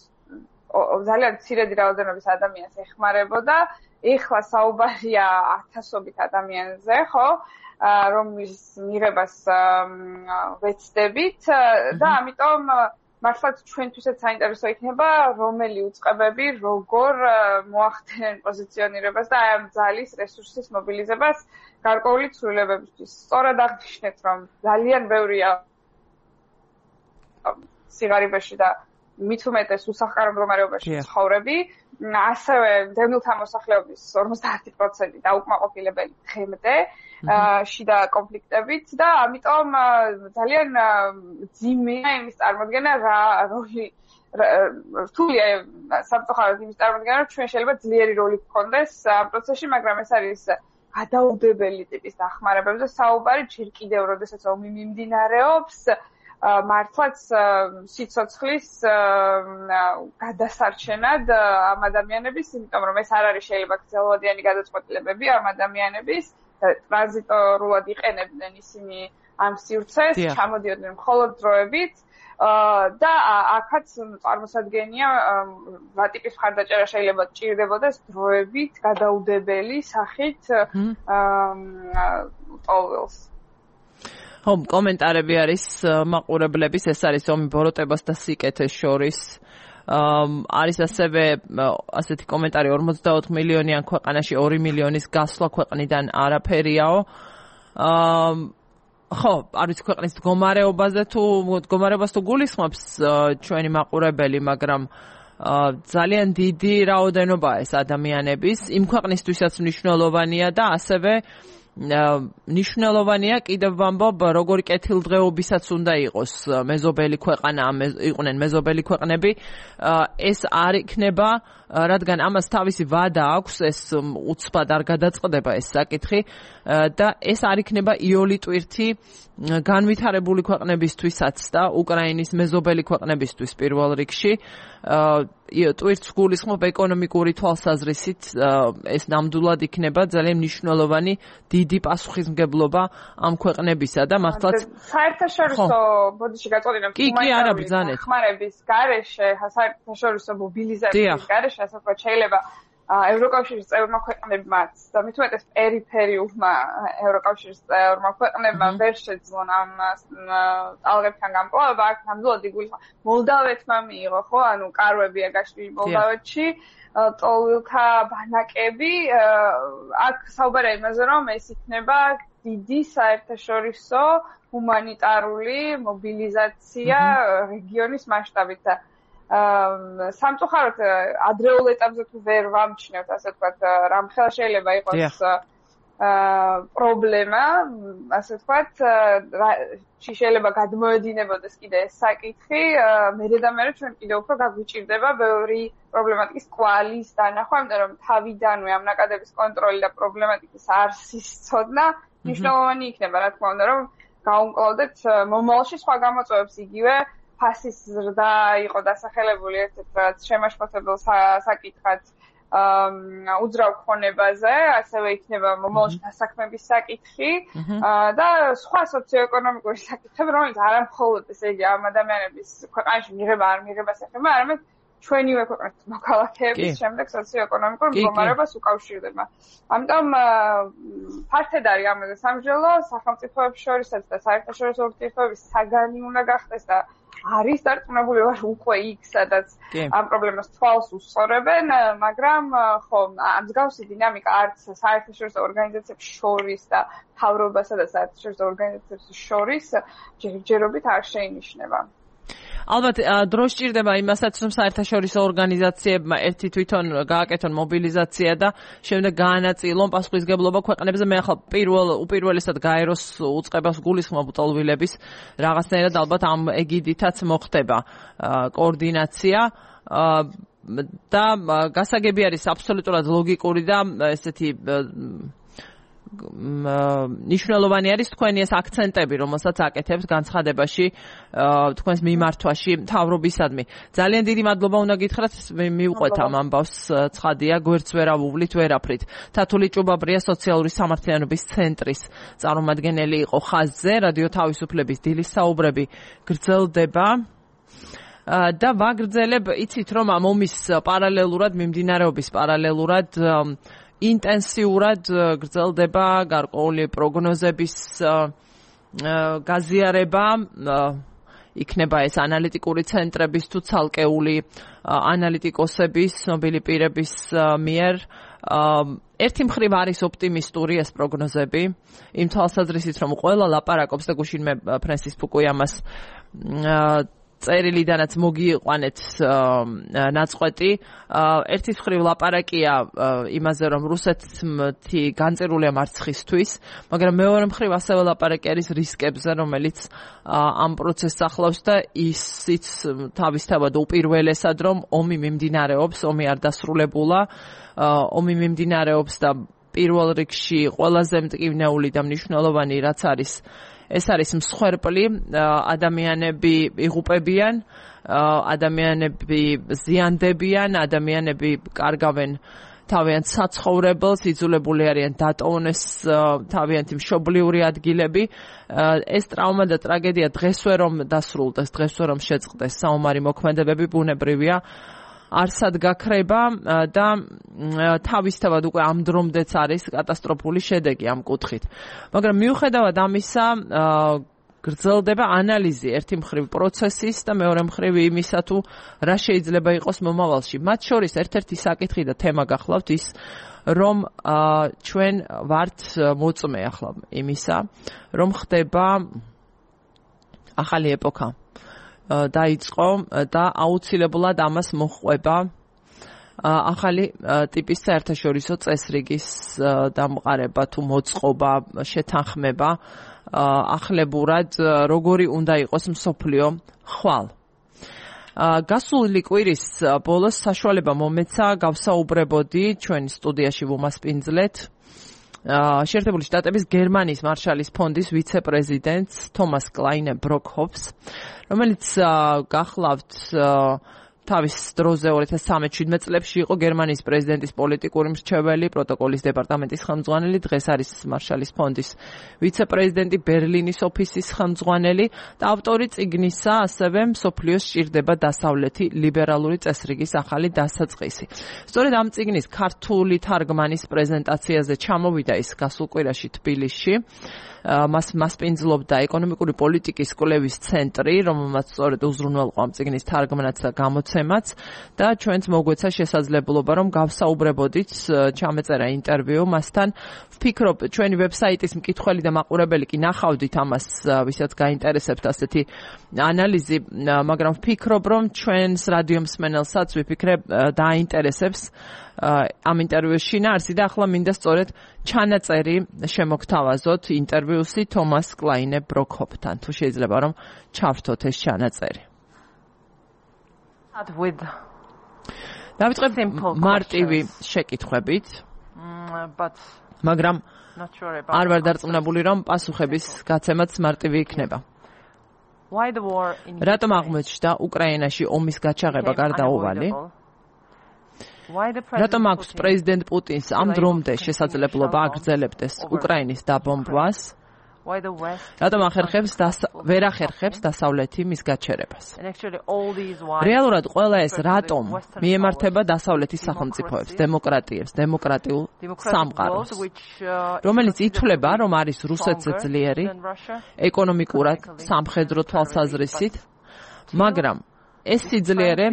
ძალიან მცირედი რაოდენობის ადამიანს ეხმარებოდა. ეხლა საუბარია ათასობით ადამიანზე, ხო, რომლის მიღებას ვეცდებით და ამიტომ მართლაც ჩვენთვისაც საინტერესო იქნება, რომელი უწყებები როგორ მოახდენენ პოზიციონირებას და აი ამ ძალის რესურსის მობილიზებას გარკვეული ცვლილებებისთვის. სწორად აღნიშნეთ, რომ ძალიან ბევრია სიღარიბეში და მით უმეტეს უსახლკარო მდგომარეობაში ცხოვრები, ასევე დევნილთა მოსახლეობის ორმოცდაათი პროცენტი დაუკმაყოფილებელი დღემდე შიდა კონფლიქტებით და ამიტომ ძალიან ძიმეა იმის წარმოქმნა რა როლი რთულია სამწუხაროდ იმის წარმოქმნა რომ ჩვენ შეიძლება ძლიერი როლი გქონდეს ამ პროცესში, მაგრამ ეს არის გადაუდებელი ტიპის დახმარებებზე საუბარი ჯერ კიდევ, როდესაც ომი მიმდინარეობს, მართლაც სიცოცხლის გადასარჩენად ამ ადამიანების, იმიტომ რომ ეს არ არის შეიძლება გრძელვადიანი გადაწყვეტილებები ამ ადამიანების, ტრანზიტორულად იყენებდნენ ისინი ამ სივრცეს, ჩამოდიოდნენ მხოლოდ დროებით და აქაც წარმოსადგენია ვატიპის მხარდაჭერა შეიძლება ჭირდებოდეს დროებით გადაუდებელი სახით ტოლველს. ხო, კომენტარები არის მაყურებლების, ეს არის ომი ბოროტებას და სიკეთეს შორის. არის ასევე ასეთი კომენტარი ორმოცდაოთხ მილიონიან ქვეყანაში ორი მილიონის გასვლა ქვეყნიდან არაფერიაო. ხო, არის ქვეყნის მდგომარეობაზე თუ მდგომარეობას თუ გულისხმობს ჩვენი მაყურებელი, მაგრამ ძალიან დიდი რაოდენობაა ეს ადამიანების, იმ ქვეყნისთვისაც მნიშვნელოვანია და ასევე ნიშნულოვანია კიდევ ვამბობ როგორი კეთილდღეობისაც უნდა იყოს მეზობელი ქვეყანა იყვნენ მეზობელი ქვეყნები ეს არ იქნება რადგან ამას თავისი ვადა აქვს ეს უცბად არ გადაწყდება ეს საკითხი და ეს არ იქნება იოლი ტვირთი განვითარებული ქვეყნებისთვისაც და უკრაინის მეზობელი ქვეყნებისთვის პირველ რიგში ტვირთს გულისხმობ ეკონომიკური თვალსაზრისით ეს ნამდვილად იქნება ძალიან მნიშვნელოვანი დიდი პასუხისმგებლობა ამ ქვეყნებისა და მართლაც საერთაშორისო ბოდიში გაწყვეტილებ კი კი არა ბრძანეთ ხმარების გარეშე საერთაშორისო მობილიზაციის გარეშე ასე ვთქვათ შეიძლება ევროკავშირის წევრმა ქვეყნებმაც და მით უმეტეს პერიფერიულმა ევროკავშირის წევრმა ქვეყნებმა ვერ შეძლონ ამ ტალღებთან გამკლავება აქ ნამდვილად იგულისხმება მოლდავეთმა მიიღო ხო ანუ კარვებია გაშლილი მოლდავეთში ტოლვილთა ბანაკები აქ საუბარია იმაზე რომ ეს იქნება დიდი საერთაშორისო ჰუმანიტარული მობილიზაცია რეგიონის მასშტაბით და სამწუხაროდ ადრეულ ეტაპზე თუ ვერ ვამჩნევთ ასე ვთქვათ რამ ხელა შეიძლება იყოს პრობლემა ასე ვთქვათ შეიძლება გადმოედინებოდეს კიდე ეს საკითხი მერე და მერე ჩვენ კიდე უფრო გაგვიჭირდება ბევრი პრობლემატიკის კვალის დანახვა იმიტომ რომ თავიდანვე ამ ნაკადების კონტროლი და პრობლემატიკის არსის ცოდნა მნიშვნელოვანი იქნება რა თქმა უნდა რომ გავუმკლავდეთ მომავალში სხვა გამოწვევებს იგივე ფასის ზრდა იყო დასახელებული ერთ-ერთ შემაშფოთებელ საკითხად უძრავ ქონებაზე, ასევე იქნება მომავალში დასაქმების საკითხი და სხვა სოციოეკონომიკური საკითხები, რომელიც არა მხოლოდ ესე იგი ამ ადამიანების ქვეყანაში მიღება არ მიღებას ეხება, არამედ ჩვენივე ქვეყნის მოქალაქეების შემდეგ სოციოეკონომიკურ მდგომარეობას უკავშირდება. ამიტომ ფართედ არის ამაზე სამსჯელო სახელმწიფოებს შორისაც და საერთაშორისო ურთიერთობების საგანი უნდა გახდეს და არის დარწმუნებული ვარ უკვე იქ სადაც ამ პრობლემას თვალს უსწორებენ, მაგრამ ხო, მსგავსი დინამიკა არც საერთაშორისო ორგანიზაციებს შორის და მთავრობასა და საერთაშორისო ორგანიზაციებს შორის ჯერჯერობით არ შეინიშნება. ალბათ დრო სჭირდება იმასაც რომ საერთაშორისო ორგანიზაციებმა ერთი თვითონ გააკეთონ მობილიზაცია და შემდეგ გაანაწილონ პასუხისმგებლობა ქვეყნებზე მე ახლა პირველ უპირველესად გაეროს უწყებას გულისხმობ ტოლვილების რაღაცნაირად ალბათ ამ ეგიდითაც მოხდება კოორდინაცია და გასაგები არის აბსოლუტურად ლოგიკური და ესეთი ნიშნულოვანი არის თქვენი ეს აქცენტები, რომელსაც აკეთებთ განცხადებაში თქვენს მიმართვაში მთავრობისადმი. ძალიან დიდი მადლობა უნდა გითხრათ, მივყვეთ ამ ამბავს ცხადია, გვერდს ვერ ავუვლით, ვერაფრით. თათული ჭუბაბრია სოციალური სამართლიანობის ცენტრის წარმომადგენელი იყო ხაზზე, რადიო თავისუფლების დილის საუბრები გრძელდება. და ვაგრძელებ, იცით რომ ამ ომის პარალელურად, მიმდინარეობის პარალელურად ინტენსიურად გრძელდება გარკვეული პროგნოზების გაზიარება იქნება ეს ანალიტიკური ცენტრების თუ ცალკეული ანალიტიკოსების, ცნობილი პირების მიერ ერთი მხრივ არის ოპტიმისტური ეს პროგნოზები იმ თვალსაზრისით რომ ყველა ლაპარაკობს და გუშინ მე ფრენსის ფუკუიამას წერილიდანაც მოგიყვანეთ ნაწყვეტი ერთი მხრივ ლაპარაკია იმაზე რომ რუსეთი განწერულია მარცხისთვის მაგრამ მეორე მხრივ ასევე ლაპარაკი არის რისკებზე რომელიც ამ პროცესს ახლავს და ისიც თავისთავად უპირველესად რომ ომი მიმდინარეობს ომი არ დასრულებულა ომი მიმდინარეობს და პირველ რიგში ყველაზე მტკივნეული და მნიშვნელოვანი რაც არის ეს არის მსხვერპლი, ადამიანები იღუპებიან, ადამიანები ზიანდებიან, ადამიანები კარგავენ თავიანთ საცხოვრებელს, იძულებული არიან დატოვონ ეს თავიანთი მშობლიური ადგილები. ეს ტრავმა და ტრაგედია დღესვე რომ დასრულდეს, დღესვე რომ შეწყდეს საომარი მოქმედებები, ბუნებრივია არსად გაქრება და თავისთავად უკვე ამ დრომდეც არის კატასტროფული შედეგი ამ კუთხით. მაგრამ მიუხედავად ამისა, გრძელდება ანალიზი ერთი მხრივ პროცესის და მეორე მხრივ იმისა თუ რა შეიძლება იყოს მომავალში. მათ შორის ერთ-ერთი საკითხი და თემა გახლავთ ის, რომ ჩვენ ვართ მოწმე ახლა იმისა, რომ ხდება ახალი ეპოქა. დაიწყო და აუცილებლად ამას მოჰყვება ახალი ტიპის საერთაშორისო წესრიგის დამყარება თუ მოწყობა, შეთანხმება ახლებურად როგორი უნდა იყოს მსოფლიო ხვალ. გასული კვირის ბოლოს საშუალება მომეცა გავსაუბრებოდი ჩვენ სტუდიაში ვუმასპინძლეთ შეერთებული შტატების გერმანიის მარშალის ფონდის ვიცე-პრეზიდენტს თომას კლაინე ბროკჰოფს, რომელიც გახლავთ თავის დროზე ორი ათას ცხრამეტ წლებში იყო გერმანიის პრეზიდენტის პოლიტიკური მრჩეველი, პროტოკოლის დეპარტამენტის ხელმძღვანელი, დღეს არის მარშალის ფონდის ვიცე-პრეზიდენტი, ბერლინის ოფისის ხელმძღვანელი და ავტორი წიგნისა, ასევე მსოფლიოს სჭირდება დასავლეთი ლიბერალური წესრიგის ახალი დასაწყისი. სწორედ ამ წიგნის ქართული თარგმანის პრეზენტაციაზე ჩამოვიდა ის გასულ კვირაში თბილისში. მას მასპინძლობდა ეკონომიკური პოლიტიკის კვლევის ცენტრი, რომელმაც სწორედ უზრუნველყო ამ წიგნის თარგმანაც და გამოცემაც და ჩვენც მოგვეცა შესაძლებლობა რომ გავსაუბრებოდით, ჩამეწერა ინტერვიუ მასთან. ვფიქრობ, ჩვენი ვებსაიტის მკითხველი და მაყურებელი კი ნახავდით ამას, ვისაც გაინტერესებთ ასეთი ანალიზი, მაგრამ ვფიქრობ, რომ ჩვენს რადიო მსმენელსაც ვიფიქრე დააინტერესებს ამ ინტერვიუს შინაარსი და ახლა მინდა სწორედ ჩანაწერი შემოგთავაზოთ ინტერვიუსი თომას კლაინე ბროკჰოფთან. თუ შეიძლება რომ ჩავრთოთ ეს ჩანაწერი. დავიწყებ მარტივი შეკითხვებით, მაგრამ არ ვარ დარწმუნებული, რომ პასუხების გაცემაც მარტივი იქნება. რატომ აღმოჩნდა უკრაინაში ომის გაჩაღება გარდაუვალი? რატომ აქვს პრეზიდენტ პუტინს ამ დრომდე შესაძლებლობა აგრძელებდეს უკრაინის დაბომბვას? რატომ ახერხებს ვერ ახერხებს დასავლეთი მის გაჩერებას? რეალურად ყველა ეს რატომ მიემართება დასავლეთის სახელმწიფოებს, დემოკრატიებს, დემოკრატიულ სამყაროს, რომელიც ითვლება, რომ არის რუსეთზე ძლიერი ეკონომიკურად, სამხედრო თვალსაზრისით, მაგრამ ეს სიძლიერე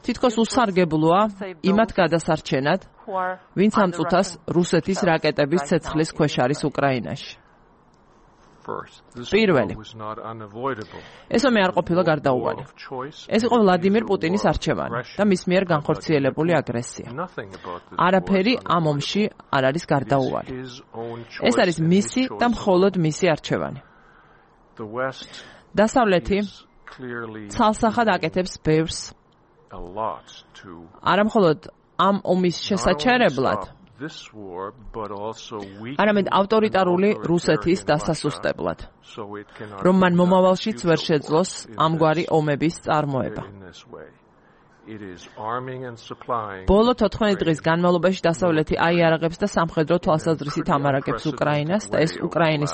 თითქოს უსარგებლოა იმათ გადასარჩენად, ვინც ამ წუთას რუსეთის რაკეტების ცეცხლის ქვეშ არის უკრაინაში. პირველი. ეს ომი არ ყოფილა გარდაუვალი. ეს იყო ვლადიმირ პუტინის არჩევანი და მის მიერ განხორციელებული აგრესია. არაფერი ამ ომში არ არის გარდაუვალი. ეს არის მისი და მხოლოდ მისი არჩევანი. დასავლეთი ცალსახად აკეთებს ბევრს, არა მხოლოდ ამ ომის შესაჩერებლად, არამედ ავტორიტარული რუსეთის დასასუსტებლად, რომ მან მომავალშიც ვერ შეძლოს ამგვარი ომების წარმოება. ბოლო თოთხმეტ დღის განმავლობაში დასავლეთი აიარაღებს და სამხედრო თვალსაზრისით ამარაგებს უკრაინას და ეს უკრაინის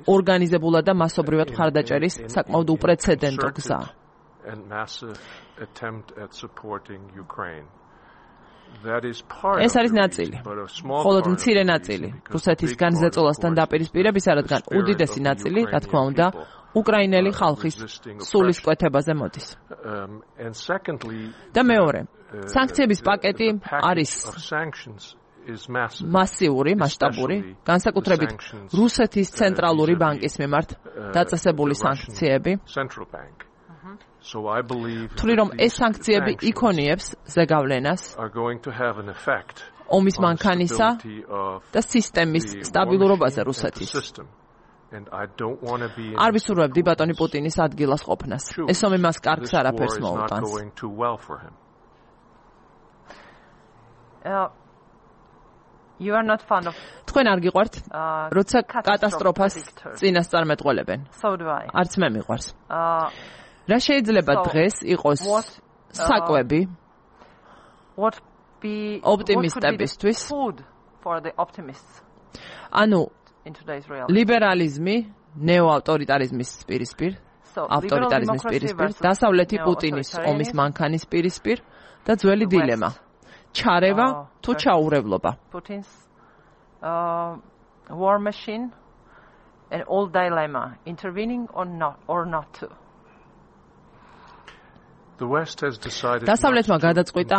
ორგანიზებულად და მასობრივად მხარდაჭერის საკმაოდ უპრეცედენტო გზაა. ეს არის ნაწილი, მხოლოდ მცირე ნაწილი რუსეთისგან ზეწოლასთან დაპირისპირებისა, რადგან უდიდესი ნაწილი, რა თქმა უნდა, უკრაინელი ხალხის სულისკვეთებაზე მოდის. და მეორე, სანქციების პაკეტი არის მასიური, მასშტაბური, განსაკუთრებით რუსეთის ცენტრალური ბანკის მიმართ დაწესებული სანქციები. ვთვლი, რომ ეს სანქციები იქონიებს ზეგავლენას ომის მანქანისა და სისტემის სტაბილურობაზე რუსეთის. არ ვისურვებდი ბატონი პუტინის ადგილას ყოფნას. ეს ომი მას კარგს არაფერს მოუტანს. You are not fond of თქვენ არ გიყვართ როცა კატასტროფას წინასწარმეტყველებენ. So do I. არც მე მიყვარს. რა შეიძლება დღეს იყოს საკვები what be ოპტიმისტებისთვის food for the optimists. ანუ in today's reality. ლიბერალიზმი ნეოავტორიტარიზმის პირისპირ, ავტორიტარიზმის პირისპირ, დასავლეთი პუტინის ომის მანქანის პირისპირ და ძველი დილემა. ჩარევა თუ ჩაურევლობა. Putin's uh, war machine and old dilemma intervening or not or not to. დასავლეთმა გადაწყვიტა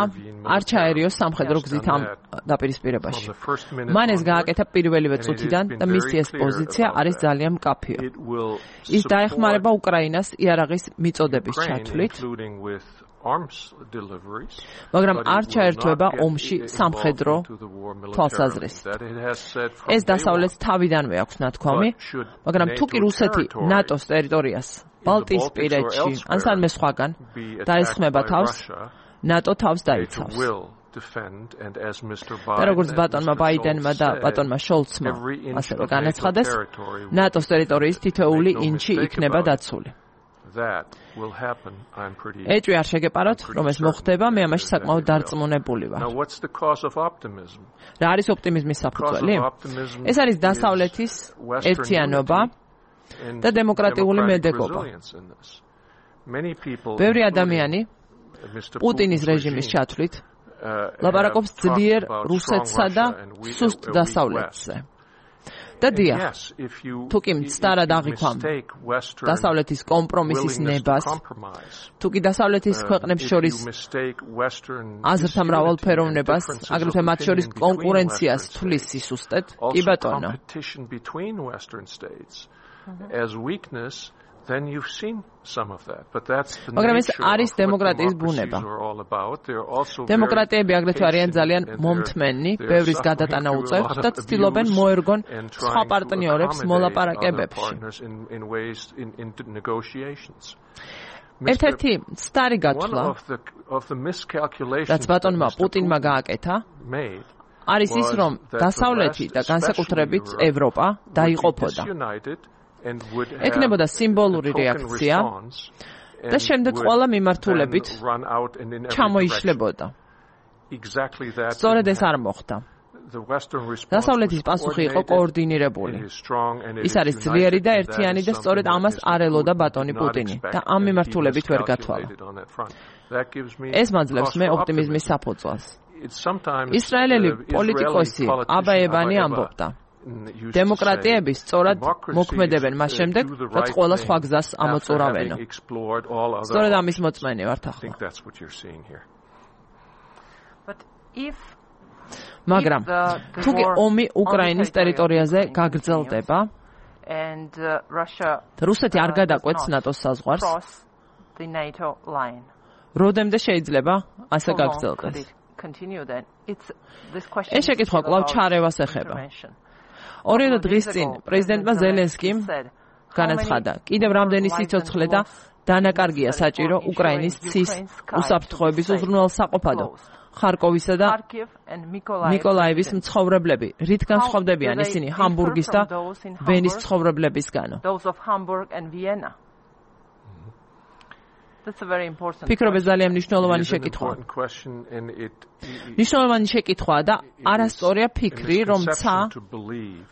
არ ჩაერიოს სამხედრო გზით ამ დაპირისპირებაში. მან ეს გააკეთა პირველივე წუთიდან და მისი ეს პოზიცია არის ძალიან მკაფიო. ის დაეხმარება უკრაინას იარაღის მიწოდების ჩათვლით, მაგრამ არ ჩაერთვება ომში სამხედრო თვალსაზრისით. ეს დასავლეთს თავიდანვე აქვს ნათქვამი, მაგრამ თუ კი რუსეთი ნატოს ტერიტორიას ბალტიისპირეთში ან სამე სხვაგან დაესხმება თავს, ნატო თავს დაიცავს. და როგორც ბატონმა ბაიდენმა და ბატონმა შოლცმა ასევე განაცხადეს, ნატოს ტერიტორიის თითოეული ინჩი იქნება დაცული. ეჭვი არ შეგეპაროთ, რომ ეს მოხდება, მე ამაში საკმაოდ დარწმუნებული ვარ. რა არის ოპტიმიზმის საფუძველი? ეს არის დასავლეთის ერთიანობა და დემოკრატიული მედეგობა. ბევრი ადამიანი პუტინის რეჟიმის ჩათვლით ლაპარაკობს ძლიერ რუსეთსა და სუსტ დასავლეთზე. და დიახ, თუ კი მცდარად აღიქვამ დასავლეთის კომპრომისის ნებას, თუ კი დასავლეთის ქვეყნებს შორის აზრთა მრავალფეროვნებას, აგრეთვე მათ შორის კონკურენციას თulis სისუსტეთ, კი ბატონო. then you've seen some of that, but that's the მაგრამ ეს არის დემოკრატიის ბუნება. დემოკრატიები აგრეთვე არიან ძალიან მომთმენი, ბევრის გადატანა უწევთ და ცდილობენ მოერგონ სხვა პარტნიორებს მოლაპარაკებებში. ერთ-ერთი სტარი გათვლა, რაც ბატონმა პუტინმა გააკეთა, არის ის, რომ დასავლეთი და განსაკუთრებით ევროპა დაიყოფოდა. ეკნებოდა სიმბოლური რეაქცია და შემდეგ ყველა მიმართულებით ჩამოიშლებოდა. სწორედ ეს არ მოხდა. დასავლეთის პასუხი იყო კოორდინირებული. ის არის ძლიერი და ერთიანი და სწორედ ამას არ ელოდა ბატონი პუტინი და ამ მიმართულებით ვერ გათვალა. ეს მაძლევს მე ოპტიმიზმის საფუძველს. ისრაელელი პოლიტიკოსი აბაებანი ამბობდა: დემოკრატიები სწორად მოქმედებენ მას შემდეგ, რაც ყველა სხვა გზას ამოწურავენო. სწორედ ამის მოწმენი ვართ ახლა. მაგრამ თუ კი ომი უკრაინის ტერიტორიაზე გაგრძელდება და რუსეთი არ გადაკვეთს ნატოს საზღვარს, როდემდე შეიძლება ასე გაგრძელდეს? ეს შეკითხვა კვლავ ჩარევას ეხება. ორი დღის წინ პრეზიდენტმა ზელენსკიმ განაცხადა, კიდევ რამდენი სიცოცხლე და დანაკარგია საჭირო უკრაინის ცის უსაფრთხოების უზრუნველსაყოფადო. ხარკოვისა და მიკოლაევის მცხოვრებლები რით განსხვავდებიან ისინი ჰამბურგის და ვენის მცხოვრებლებისგანო? ფიქრობ ეს ძალიან მნიშვნელოვანი შეკითხვაა. მნიშვნელოვანი შეკითხვაა და არასწორია ფიქრი, რომ ცა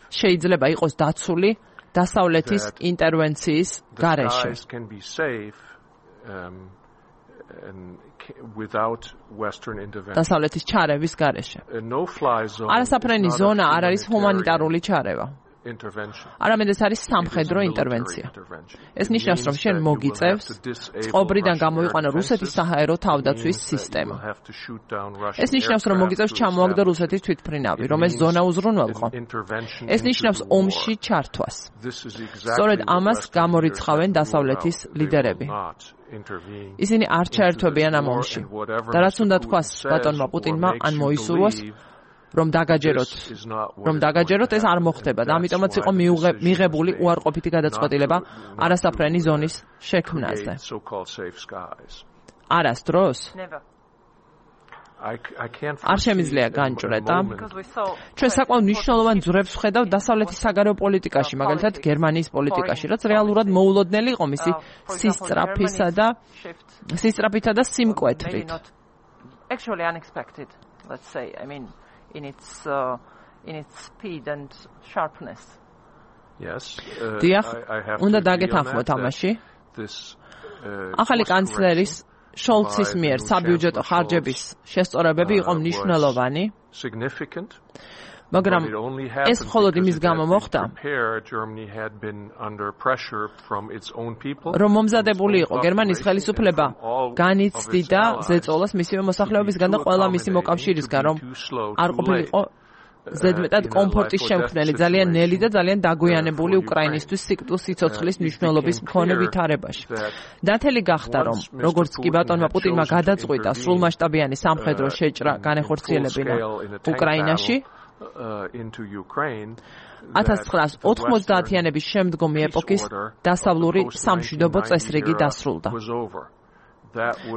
შეიძლება იყოს დაცული დასავლეთის ინტერვენციის გარეშე. დასავლეთის ჩარევის გარეშე. არასაფრენი ზონა არ არის ჰუმანიტარული ჩარევა. არამედ ეს არის სამხედრო ინტერვენცია. ეს ნიშნავს, რომ შენ მოგიწევს წყობრიდან გამოიყვანო რუსეთის საჰაერო თავდაცვის სისტემა. ეს ნიშნავს, რომ მოგიწევს ჩამოაგდო რუსეთის თვითმფრინავი, რომ ეს ზონა უზრუნველყო. ეს ნიშნავს ომში ჩართვას. სწორედ ამას გამორიცხავენ დასავლეთის ლიდერები. ისინი არ ჩაერთვებიან ამ ომში. და რაც უნდა თქვას ბატონმა პუტინმა ან მოისურვოს, რომ დაგაჯეროთ, რომ დაგაჯეროთ, ეს არ მოხდება და ამიტომაც იყო მიღებული უარყოფითი გადაწყვეტილება არასაფრენი ზონის შექმნაზე. არასდროს? არ შემიძლია განჭრეტა. ჩვენ საკმაოდ მნიშვნელოვან ძვრებს ვხედავ დასავლეთის საგარეო პოლიტიკაში, მაგალითად გერმანიის პოლიტიკაში, რაც რეალურად მოულოდნელი იყო მისი სისწრაფისა და სისწრაფითა და სიმკვეთრით. Actually unexpected, let's say. I mean, in its uh, in its speed and sharpness. Yes. Uh, დიახ, I, I have უნდა to დაგეთანხმოთ ამაში. This ახალი კანცლერის შოლცის მიერ საბიუჯეტო ხარჯების შესწორებები იყო მნიშვნელოვანი. Significant. მაგრამ ეს მხოლოდ იმის გამო მოხდა, რომ მომზადებული იყო გერმანიის ხელისუფლება განიცდიდა ზეწოლას მისივე მოსახლეობისგან და ყველა მისი მოკავშირისგან, რომ არ ყოფილიყო ზედმეტად კომფორტის შემქმნელი, ძალიან ნელი და ძალიან დაგვიანებული უკრაინისთვის სიკვდილსიცოცხლის მნიშვნელობის მქონე ვითარებაში. დათელი გახდა, რომ როგორც კი ბატონმა პუტინმა გადაწყვიტა სრულმასშტაბიანი სამხედრო შეჭრა განეხორციელებინა უკრაინაში, ათას ცხრაას ოთხმოცდაათიანების შემდგომი ეპოქის დასავლური სამშვიდობო წესრიგი დასრულდა.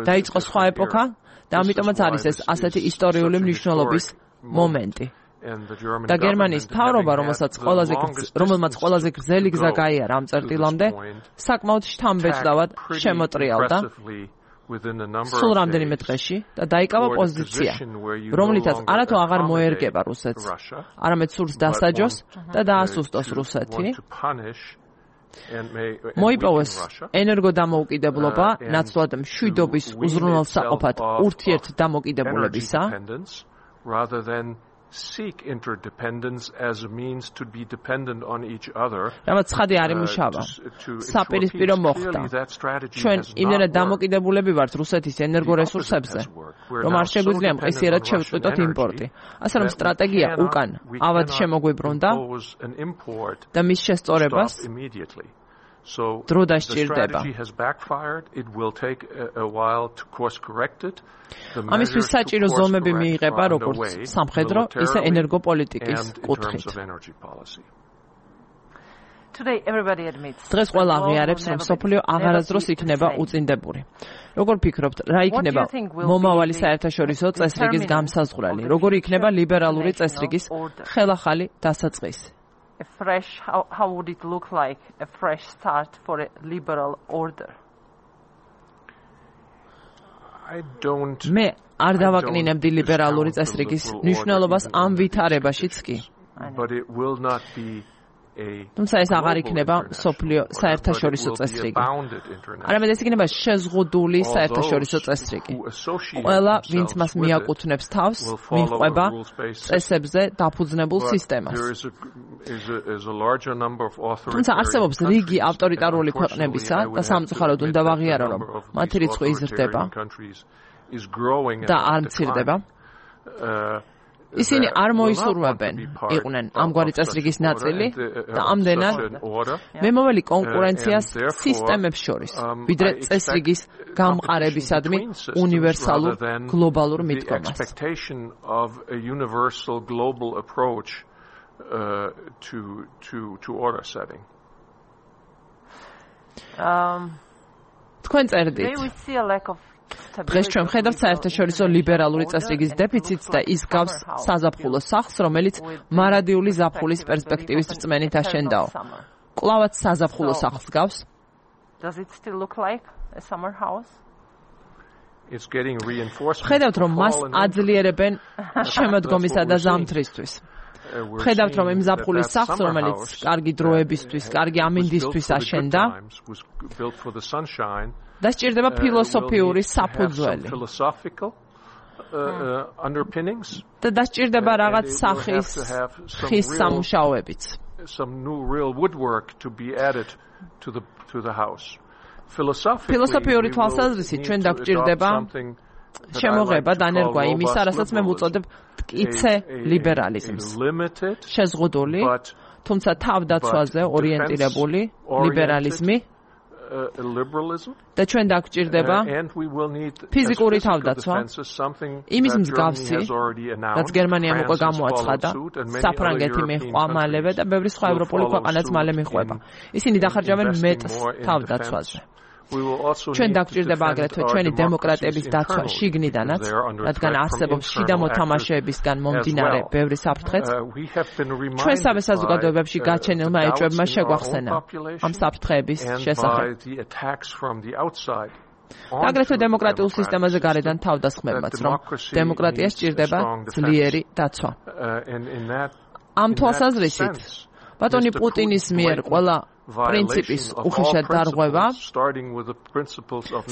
დაიწყო სხვა ეპოქა და ამიტომაც არის ეს ასეთი ისტორიული მნიშვნელობის მომენტი. და გერმანიის მთავრობა, რომელსაც ყველაზე რომელმაც ყველაზე გრძელი გზა გაიარა ამ წერტილამდე, საკმაოდ შთამბეჭდავად შემოტრიალდა სულ რამდენიმე დღეში და დაიკავა პოზიცია, რომლითაც არათუ აღარ მოერგება რუსეთს, არამედ სურს დასაჯოს და დაასუსტოს რუსეთი. მოიპოვოს ენერგოდამოუკიდებლობა, ნაცვლად მშვიდობის უზრუნველსაყოფად ურთიერთდამოკიდებულებისა, seek interdependence as a means to be dependent on each other. რამაც ცხადი არ იმუშავა. საპირისპირო მოხდა. ჩვენ იმდენად დამოკიდებულები ვართ რუსეთის ენერგორესურსებზე, რომ არ შეგვიძლია მყისიერად შევწყვიტოთ იმპორტი. ასე რომ სტრატეგია უკან ავად შემოგვიბრუნდა და მის შესწორებას დრო დასჭირდება. ამისთვის საჭირო ზომები მიიღება როგორც სამხედრო, ისე ენერგოპოლიტიკის კუთხით. დღეს ყველა აღიარებს, რომ სოფლიო აღარასდროს იქნება უწინდებული. როგორ ფიქრობთ, რა იქნება მომავალი საერთაშორისო წესრიგის გამსაზღვრელი? როგორ იქნება ლიბერალური წესრიგის ხელახალი დასაწყისი? A fresh, how, how would it look like a fresh start for a liberal order? I don't მე არ დავაკნინებდი ლიბერალური წესრიგის მნიშვნელობას ამ ვითარებაშიც კი. But it will not be a თუმცა ეს აღარ იქნება სოფლიო საერთაშორისო წესრიგი. არამედ ეს იქნება შეზღუდული საერთაშორისო წესრიგი. ყველა, ვინც მას მიაკუთვნებს თავს, მიჰყვება წესებზე დაფუძნებულ სისტემას. თუმცა არსებობს რიგი ავტორიტარული ქვეყნებისა და სამწუხაროდ უნდა ვაღიარო, რომ მათი რიცხვი იზრდება და არ მცირდება. ისინი არ მოისურვებენ იყვნენ ამგვარი წესრიგის ნაწილი და ამდენად მემოველი კონკურენციას სისტემებს შორის, ვიდრე წესრიგის გამყარებისადმი უნივერსალურ გლობალურ მიდგომას. თქვენ წერდით. დღეს ჩვენ ვხედავთ საერთაშორისო ლიბერალური წესრიგის დეფიციტს და ის გავს საზაფხულო სახლს, რომელიც მარადიული ზაფხულის პერსპექტივის რწმენით აშენდაო. კვლავაც საზაფხულო სახლს გავს? Does it still look like a summer house? It's getting reinforced. ვხედავთ, რომ მას აძლიერებენ შემოდგომისა და ზამთრისთვის. ვხედავთ, რომ იმ ზაფხულის სახლს, რომელიც კარგი დროებისთვის, კარგი ამინდისთვის აშენდა, დასჭირდება ფილოსოფიური საფუძველი. და დასჭირდება რაღაც სახის ხის სამუშაოებიც. ფილოსოფიური თვალსაზრისით ჩვენ დაგვჭირდება შემოღება დანერგვა იმისა, რასაც მე ვუწოდებ მტკიცე ლიბერალიზმს. შეზღუდული, თუმცა თავდაცვაზე ორიენტირებული ლიბერალიზმი და ჩვენ დაგვჭირდება ფიზიკური თავდაცვა, იმის მსგავსი, რაც გერმანიამ უკვე გამოაცხადა, საფრანგეთი მიჰყვა მალევე და ბევრი სხვა ევროპული ქვეყანაც მალე მიჰყვება. ისინი დახარჯავენ მეტს თავდაცვაზე. ჩვენ დაგვჭირდება აგრეთვე ჩვენი დემოკრატიების დაცვა შიგნიდანაც, რადგან არსებობს შიდა მოთამაშეებისგან მომდინარე ბევრი საფრთხეც. ჩვენ სამი საზოგადოებებში გაჩენილმა ეჭვებმა შეგვახსენა ამ საფრთხეების შესახებ. აგრეთვე დემოკრატიულ სისტემაზე გარედან თავდასხმებმაც, რომ დემოკრატიას სჭირდება ძლიერი დაცვა. ამ თვალსაზრისით, ბატონი პუტინის მიერ ყველა პრინციპის უხეშად დარღვევა,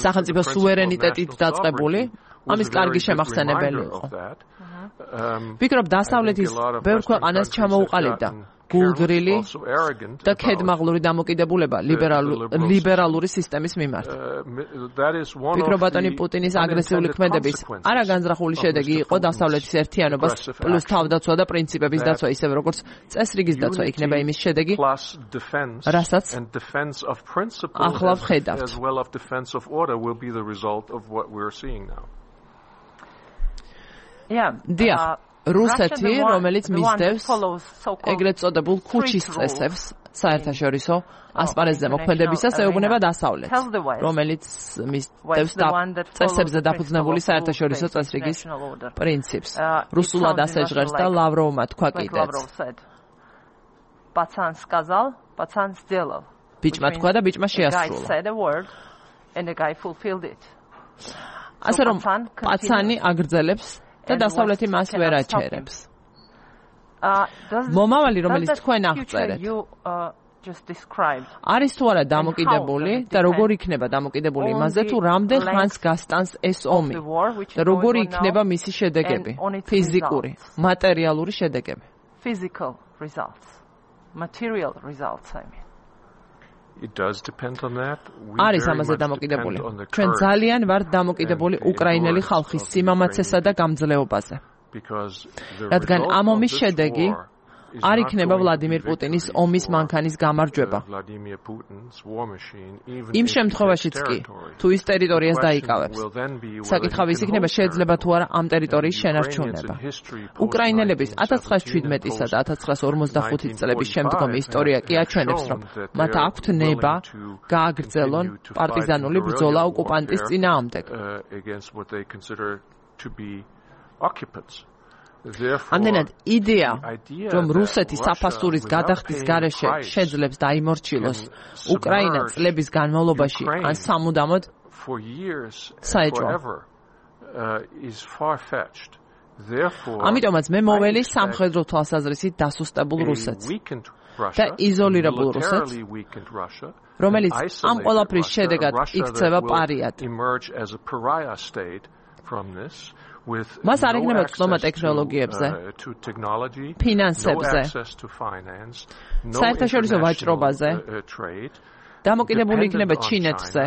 სახელმწიფო სუვერენიტეტით დაწყებული, ამის კარგი შემახსენებელი იყო. ვფიქრობ, დასავლეთის ბევრ ქვეყანას ჩამოუყალიბდა გულგრილი და ქედმაღლური დამოკიდებულება ლიბერალური სისტემის მიმართ. ვფიქრობ, ბატონი პუტინის აგრესიული ქმედების არაგანზრახული შედეგი იყო დასავლეთის ერთიანობას პლუს თავდაცვა და პრინციპების დაცვა, ისევე როგორც წესრიგის დაცვა იქნება იმის შედეგი, რასაც ახლა ვხედავთ. დიახ, რუსეთი, რომელიც მისდევს ეგრეთ წოდებულ ქუჩის წესებს საერთაშორისო ასპარეზზე მოქმედებისას, ეუბნება დასავლეთს, რომელიც მისდევს წესებზე დაფუძნებული საერთაშორისო წესრიგის პრინციპს. რუსულად ასე ჟღერს და ლავროვმა თქვა კიდეც. ბიჭმა თქვა და ბიჭმა შეასრულა. ასე რომ პაცანი აგრძელებს და დასავლეთი მას ვერ აჩერებს. მომავალი, რომელიც თქვენ აღწერეთ, არის თუ არა დამოკიდებული და როგორ იქნება დამოკიდებული იმაზე, თუ რამდენ ხანს გასტანს ეს ომი და როგორ იქნება მისი შედეგები, ფიზიკური, მატერიალური შედეგები. არის ამაზე დამოკიდებული. ჩვენ ძალიან ვართ დამოკიდებული უკრაინელი ხალხის სიმამაცესა და გამძლეობაზე. რადგან ამ ომის შედეგი არ იქნება ვლადიმირ პუტინის ომის მანქანის გამარჯვება. იმ შემთხვევაშიც კი, თუ ის ტერიტორიას დაიკავებს. საკითხავი ის იქნება, შეიძლება თუ არა ამ ტერიტორიის შენარჩუნება. უკრაინელების ათას ცხრაასი შვიდმეტისა და ათას ცხრაასი ორმოცდახუთი წლების შემდგომი ისტორია კი აჩვენებს, რომ მათ აქვთ ნება გააგრძელონ პარტიზანული ბრძოლა ოკუპანტის წინააღმდეგ. ამდენად იდეა, რომ რუსეთი საფასურის გადახდის გარეშე შეძლებს დაიმორჩილოს უკრაინა წლების განმავლობაში ან სამუდამოდ საეჭვო. ამიტომაც მე მოველი სამხედრო თვალსაზრისით დასუსტებულ რუსეთს და იზოლირებულ რუსეთს, რომელიც ამ ყველაფრის შედეგად იქცევა პარიად. მას არ იქნება წვდომა ტექნოლოგიებზე, ფინანსებზე, საერთაშორისო ვაჭრობაზე, დამოკიდებული იქნება ჩინეთზე,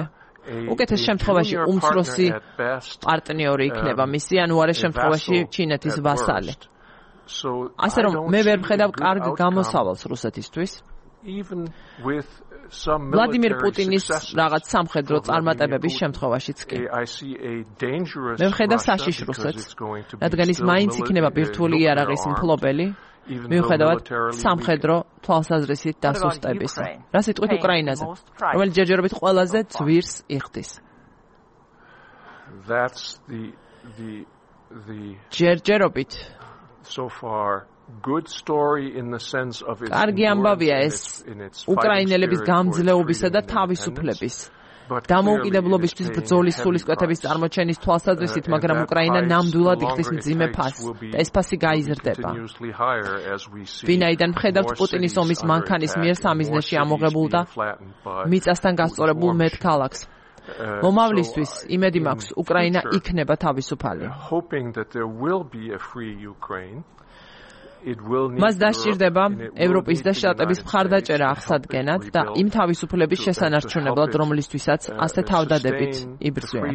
უკეთეს შემთხვევაში უმცროსი პარტნიორი იქნება მისი, ანუ უარეს შემთხვევაში ჩინეთის ვასალი. ასე რომ მე ვერ ვხედავ კარგ გამოსავალს რუსეთისთვის. ვლადიმირ პუტინის რაღაც სამხედრო წარმატებების შემთხვევაშიც კი. მე ვხედავ საშიშ რუსეთს, რადგან ის მაინც იქნება ბირთვული იარაღის მფლობელი, მიუხედავად სამხედრო თვალსაზრისით დასუსტებისა. რა სიტყვით უკრაინაზე, რომელიც ჯერჯერობით ყველაზე ძვირს იხდის. ჯერჯერობით კარგი ამბავია ეს უკრაინელების გამძლეობისა და თავისუფლების დამოუკიდებლობისთვის ბრძოლის სულისკვეთების წარმოჩენის თვალსაზრისით, მაგრამ უკრაინა ნამდვილად იხდის მძიმე ფასს და ეს ფასი გაიზრდება. ვინაიდან ვხედავთ პუტინის ომის მანქანის მიერ სამიზნეში ამოღებულ და მიწასთან გასწორებულ მეტ ქალაქს. მომავლისთვის იმედი მაქვს, უკრაინა იქნება თავისუფალი. მას დასჭირდება ევროპის და შტატების მხარდაჭერა აღსადგენად და იმ თავისუფლების შესანარჩუნებლად, რომლისთვისაც ასე თავდადებით იბრძვიან.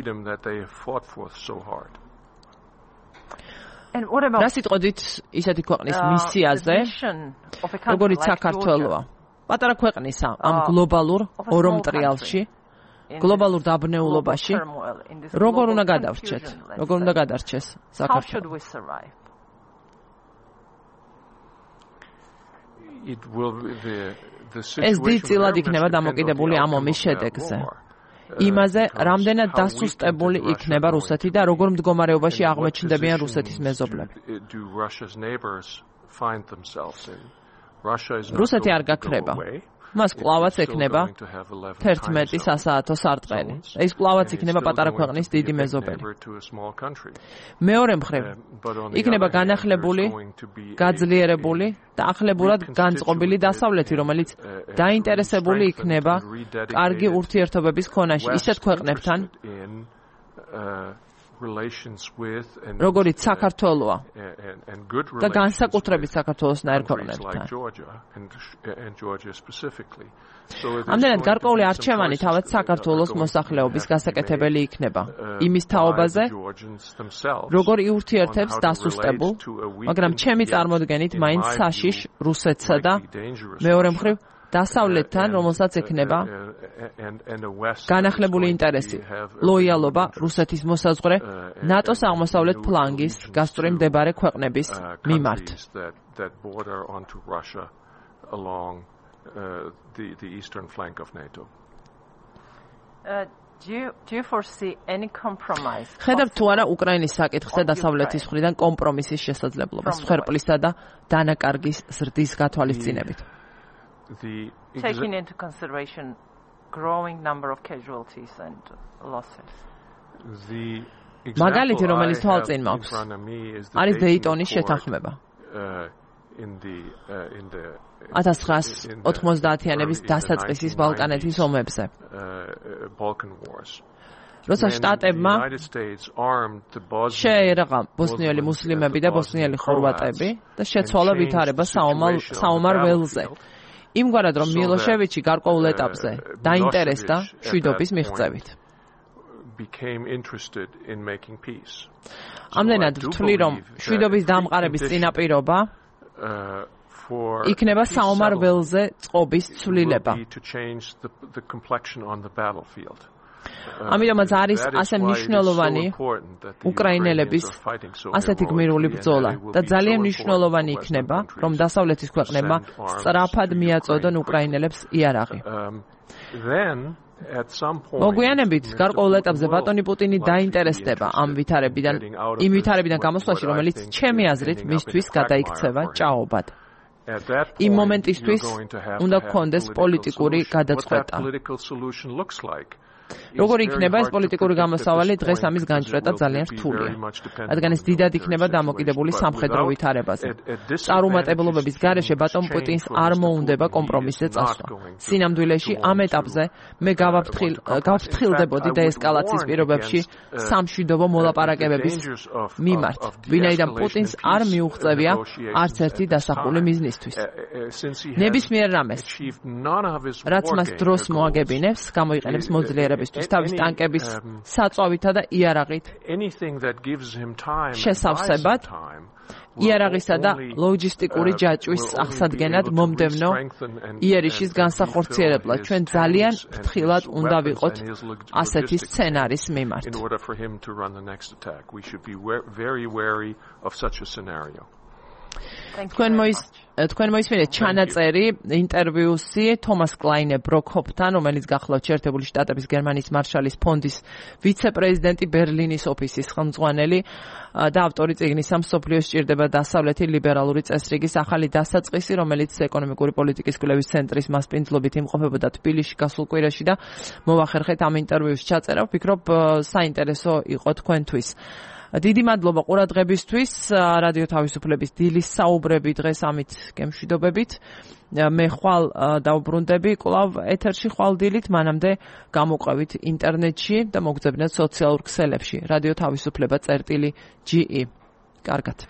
რა სიტყვით ისეთი ქვეყნის მისიაზე, როგორიც საქართველოა, პატარა ქვეყნისა ამ გლობალურ ორომტრიალში, გლობალურ დაბნეულობაში, როგორ უნდა გადავრჩეთ, როგორ უნდა გადარჩეს საქართველო. ეს დიდწილად იქნება დამოკიდებული ამ ომის შედეგზე. იმაზე, რამდენად დასუსტებული იქნება რუსეთი და როგორ მდგომარეობაში აღმოჩნდებიან რუსეთის მეზობლები. რუსეთი არ გაქრება. მას კვლავაც ექნება თერთმეტი სასაათო სარტყელი. ეს კვლავაც იქნება პატარა ქვეყნის დიდი მეზობელი. მეორე მხრივ, იქნება განახლებული, გაძლიერებული და ახლებურად განწყობილი დასავლეთი, რომელიც დაინტერესებული იქნება კარგი ურთიერთობების ქონაში ისეთ ქვეყნებთან, როგორიც საქართველოა და განსაკუთრებით საქართველოსნაირ ქვეყნებთან. ამდენად გარკვეული არჩევანი თავად საქართველოს მოსახლეობის გასაკეთებელი იქნება იმის თაობაზე, როგორ იურთიერთებს დასუსტებულ, მაგრამ ჩემი წარმოდგენით მაინც საშიშ რუსეთსა და მეორე მხრივ დასავლეთთან, რომელსაც ექნება განახლებული ინტერესი, ლოიალობა რუსეთის მოსაზღვრე ნატოს აღმოსავლეთ ფლანგის გასწვრივ მდებარე ქვეყნების მიმართ. ხედავთ თუ არა უკრაინის საკითხზე დასავლეთის მხრიდან კომპრომისის შესაძლებლობას, მსხვერპლისა და დანაკარგის ზრდის გათვალისწინებით. Taking into consideration growing number of casualties and losses. მაგალითი, რომელიც თვალწინ მაქვს, არის დეიტონის შეთანხმება. ათას ცხრაას ოთხმოცდაათიანების დასაწყისის ბალკანეთის ომებზე. როცა შტატებმა შეერაღა ბოსნიელი მუსლიმები და ბოსნიელი ხორვატები და შეცვალა ვითარება საომარ ველზე. იმგვარად, რომ მილოშევიჩი გარკვეულ ეტაპზე დაინტერესდა მშვიდობის მიღწევით. ამდენად ვთვლი, რომ მშვიდობის დამყარების წინაპირობა იქნება საომარ ველზე წყობის ცვლილება. ამიტომაც არის ასე მნიშვნელოვანი უკრაინელების ასეთი გმირული ბრძოლა და ძალიან მნიშვნელოვანი იქნება, რომ დასავლეთის ქვეყნებმა სწრაფად მიაწოდონ უკრაინელებს იარაღი. მოგვიანებით, გარკვეულ ეტაპზე ბატონი პუტინი დაინტერესდება ამ ვითარებიდან, იმ ვითარებიდან გამოსვლაში, რომელიც ჩემი აზრით მისთვის გადაიქცევა ჭაობად. იმ მომენტისთვის უნდა გქონდეს პოლიტიკური გადაწყვეტა. როგორი იქნება ეს პოლიტიკური გამოსავალი, დღეს ამის განჭრეტა ძალიან რთულია. რადგან ეს დიდად იქნება დამოკიდებული სამხედრო ვითარებაზე. წარუმატებლობების გარეშე ბატონ პუტინს არ მოუნდება კომპრომისზე წასვლა. სინამდვილეში ამ ეტაპზე მე გავფრთხილდებოდი დეესკალაციის პირობებში სამშვიდობო მოლაპარაკებების მიმართ, ვინაიდან პუტინს არ მიუღწევია არც ერთი დასახული მიზნისთვის. ნებისმიერ რამეს, რაც მას დროს მოაგებინებს, გამოიყენებს მოძლიერებისთვის, თავის ტანკების საწვავითა და იარაღით შესავსებად, იარაღისა და ლოჯისტიკური ჯაჭვის აღსადგენად მომდევნო იერიშის განსახორციელებლად ჩვენ ძალიან ფრთხილად უნდა ვიყოთ ასეთი სცენარის მიმართ. თქვენ მოის თქვენ მოისმინეთ ჩანაწერი ინტერვიუსი თომას კლაინე ბროკჰოფთან, რომელიც გახლავთ შეერთებული შტატების გერმანიის მარშალის ფონდის ვიცე-პრეზიდენტი, ბერლინის ოფისის ხელმძღვანელი და ავტორი წიგნისა მსოფლიო სჭირდება დასავლეთი ლიბერალური წესრიგის ახალი დასაწყისი, რომელიც ეკონომიკური პოლიტიკის კვლევის ცენტრის მასპინძლობით იმყოფებოდა თბილისში გასულ კვირაში და მოვახერხეთ ამ ინტერვიუს ჩაწერა. ვფიქრობ საინტერესო იყო თქვენთვის. დიდი მადლობა ყურადღებისთვის. რადიო თავისუფლების დილის საუბრები დღეს ამით გემშვიდობებით. მე ხვალ დავბრუნდები კვლავ ეთერში ხვალ დილით, მანამდე გამოყვებით ინტერნეტში და მოგძებნეთ სოციალურ ქსელებში. რადიო თავისუფლება წერტილი ჯი ი. კარგად.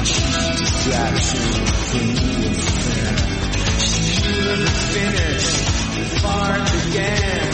Distraction for me is fair. The finish, the spark began.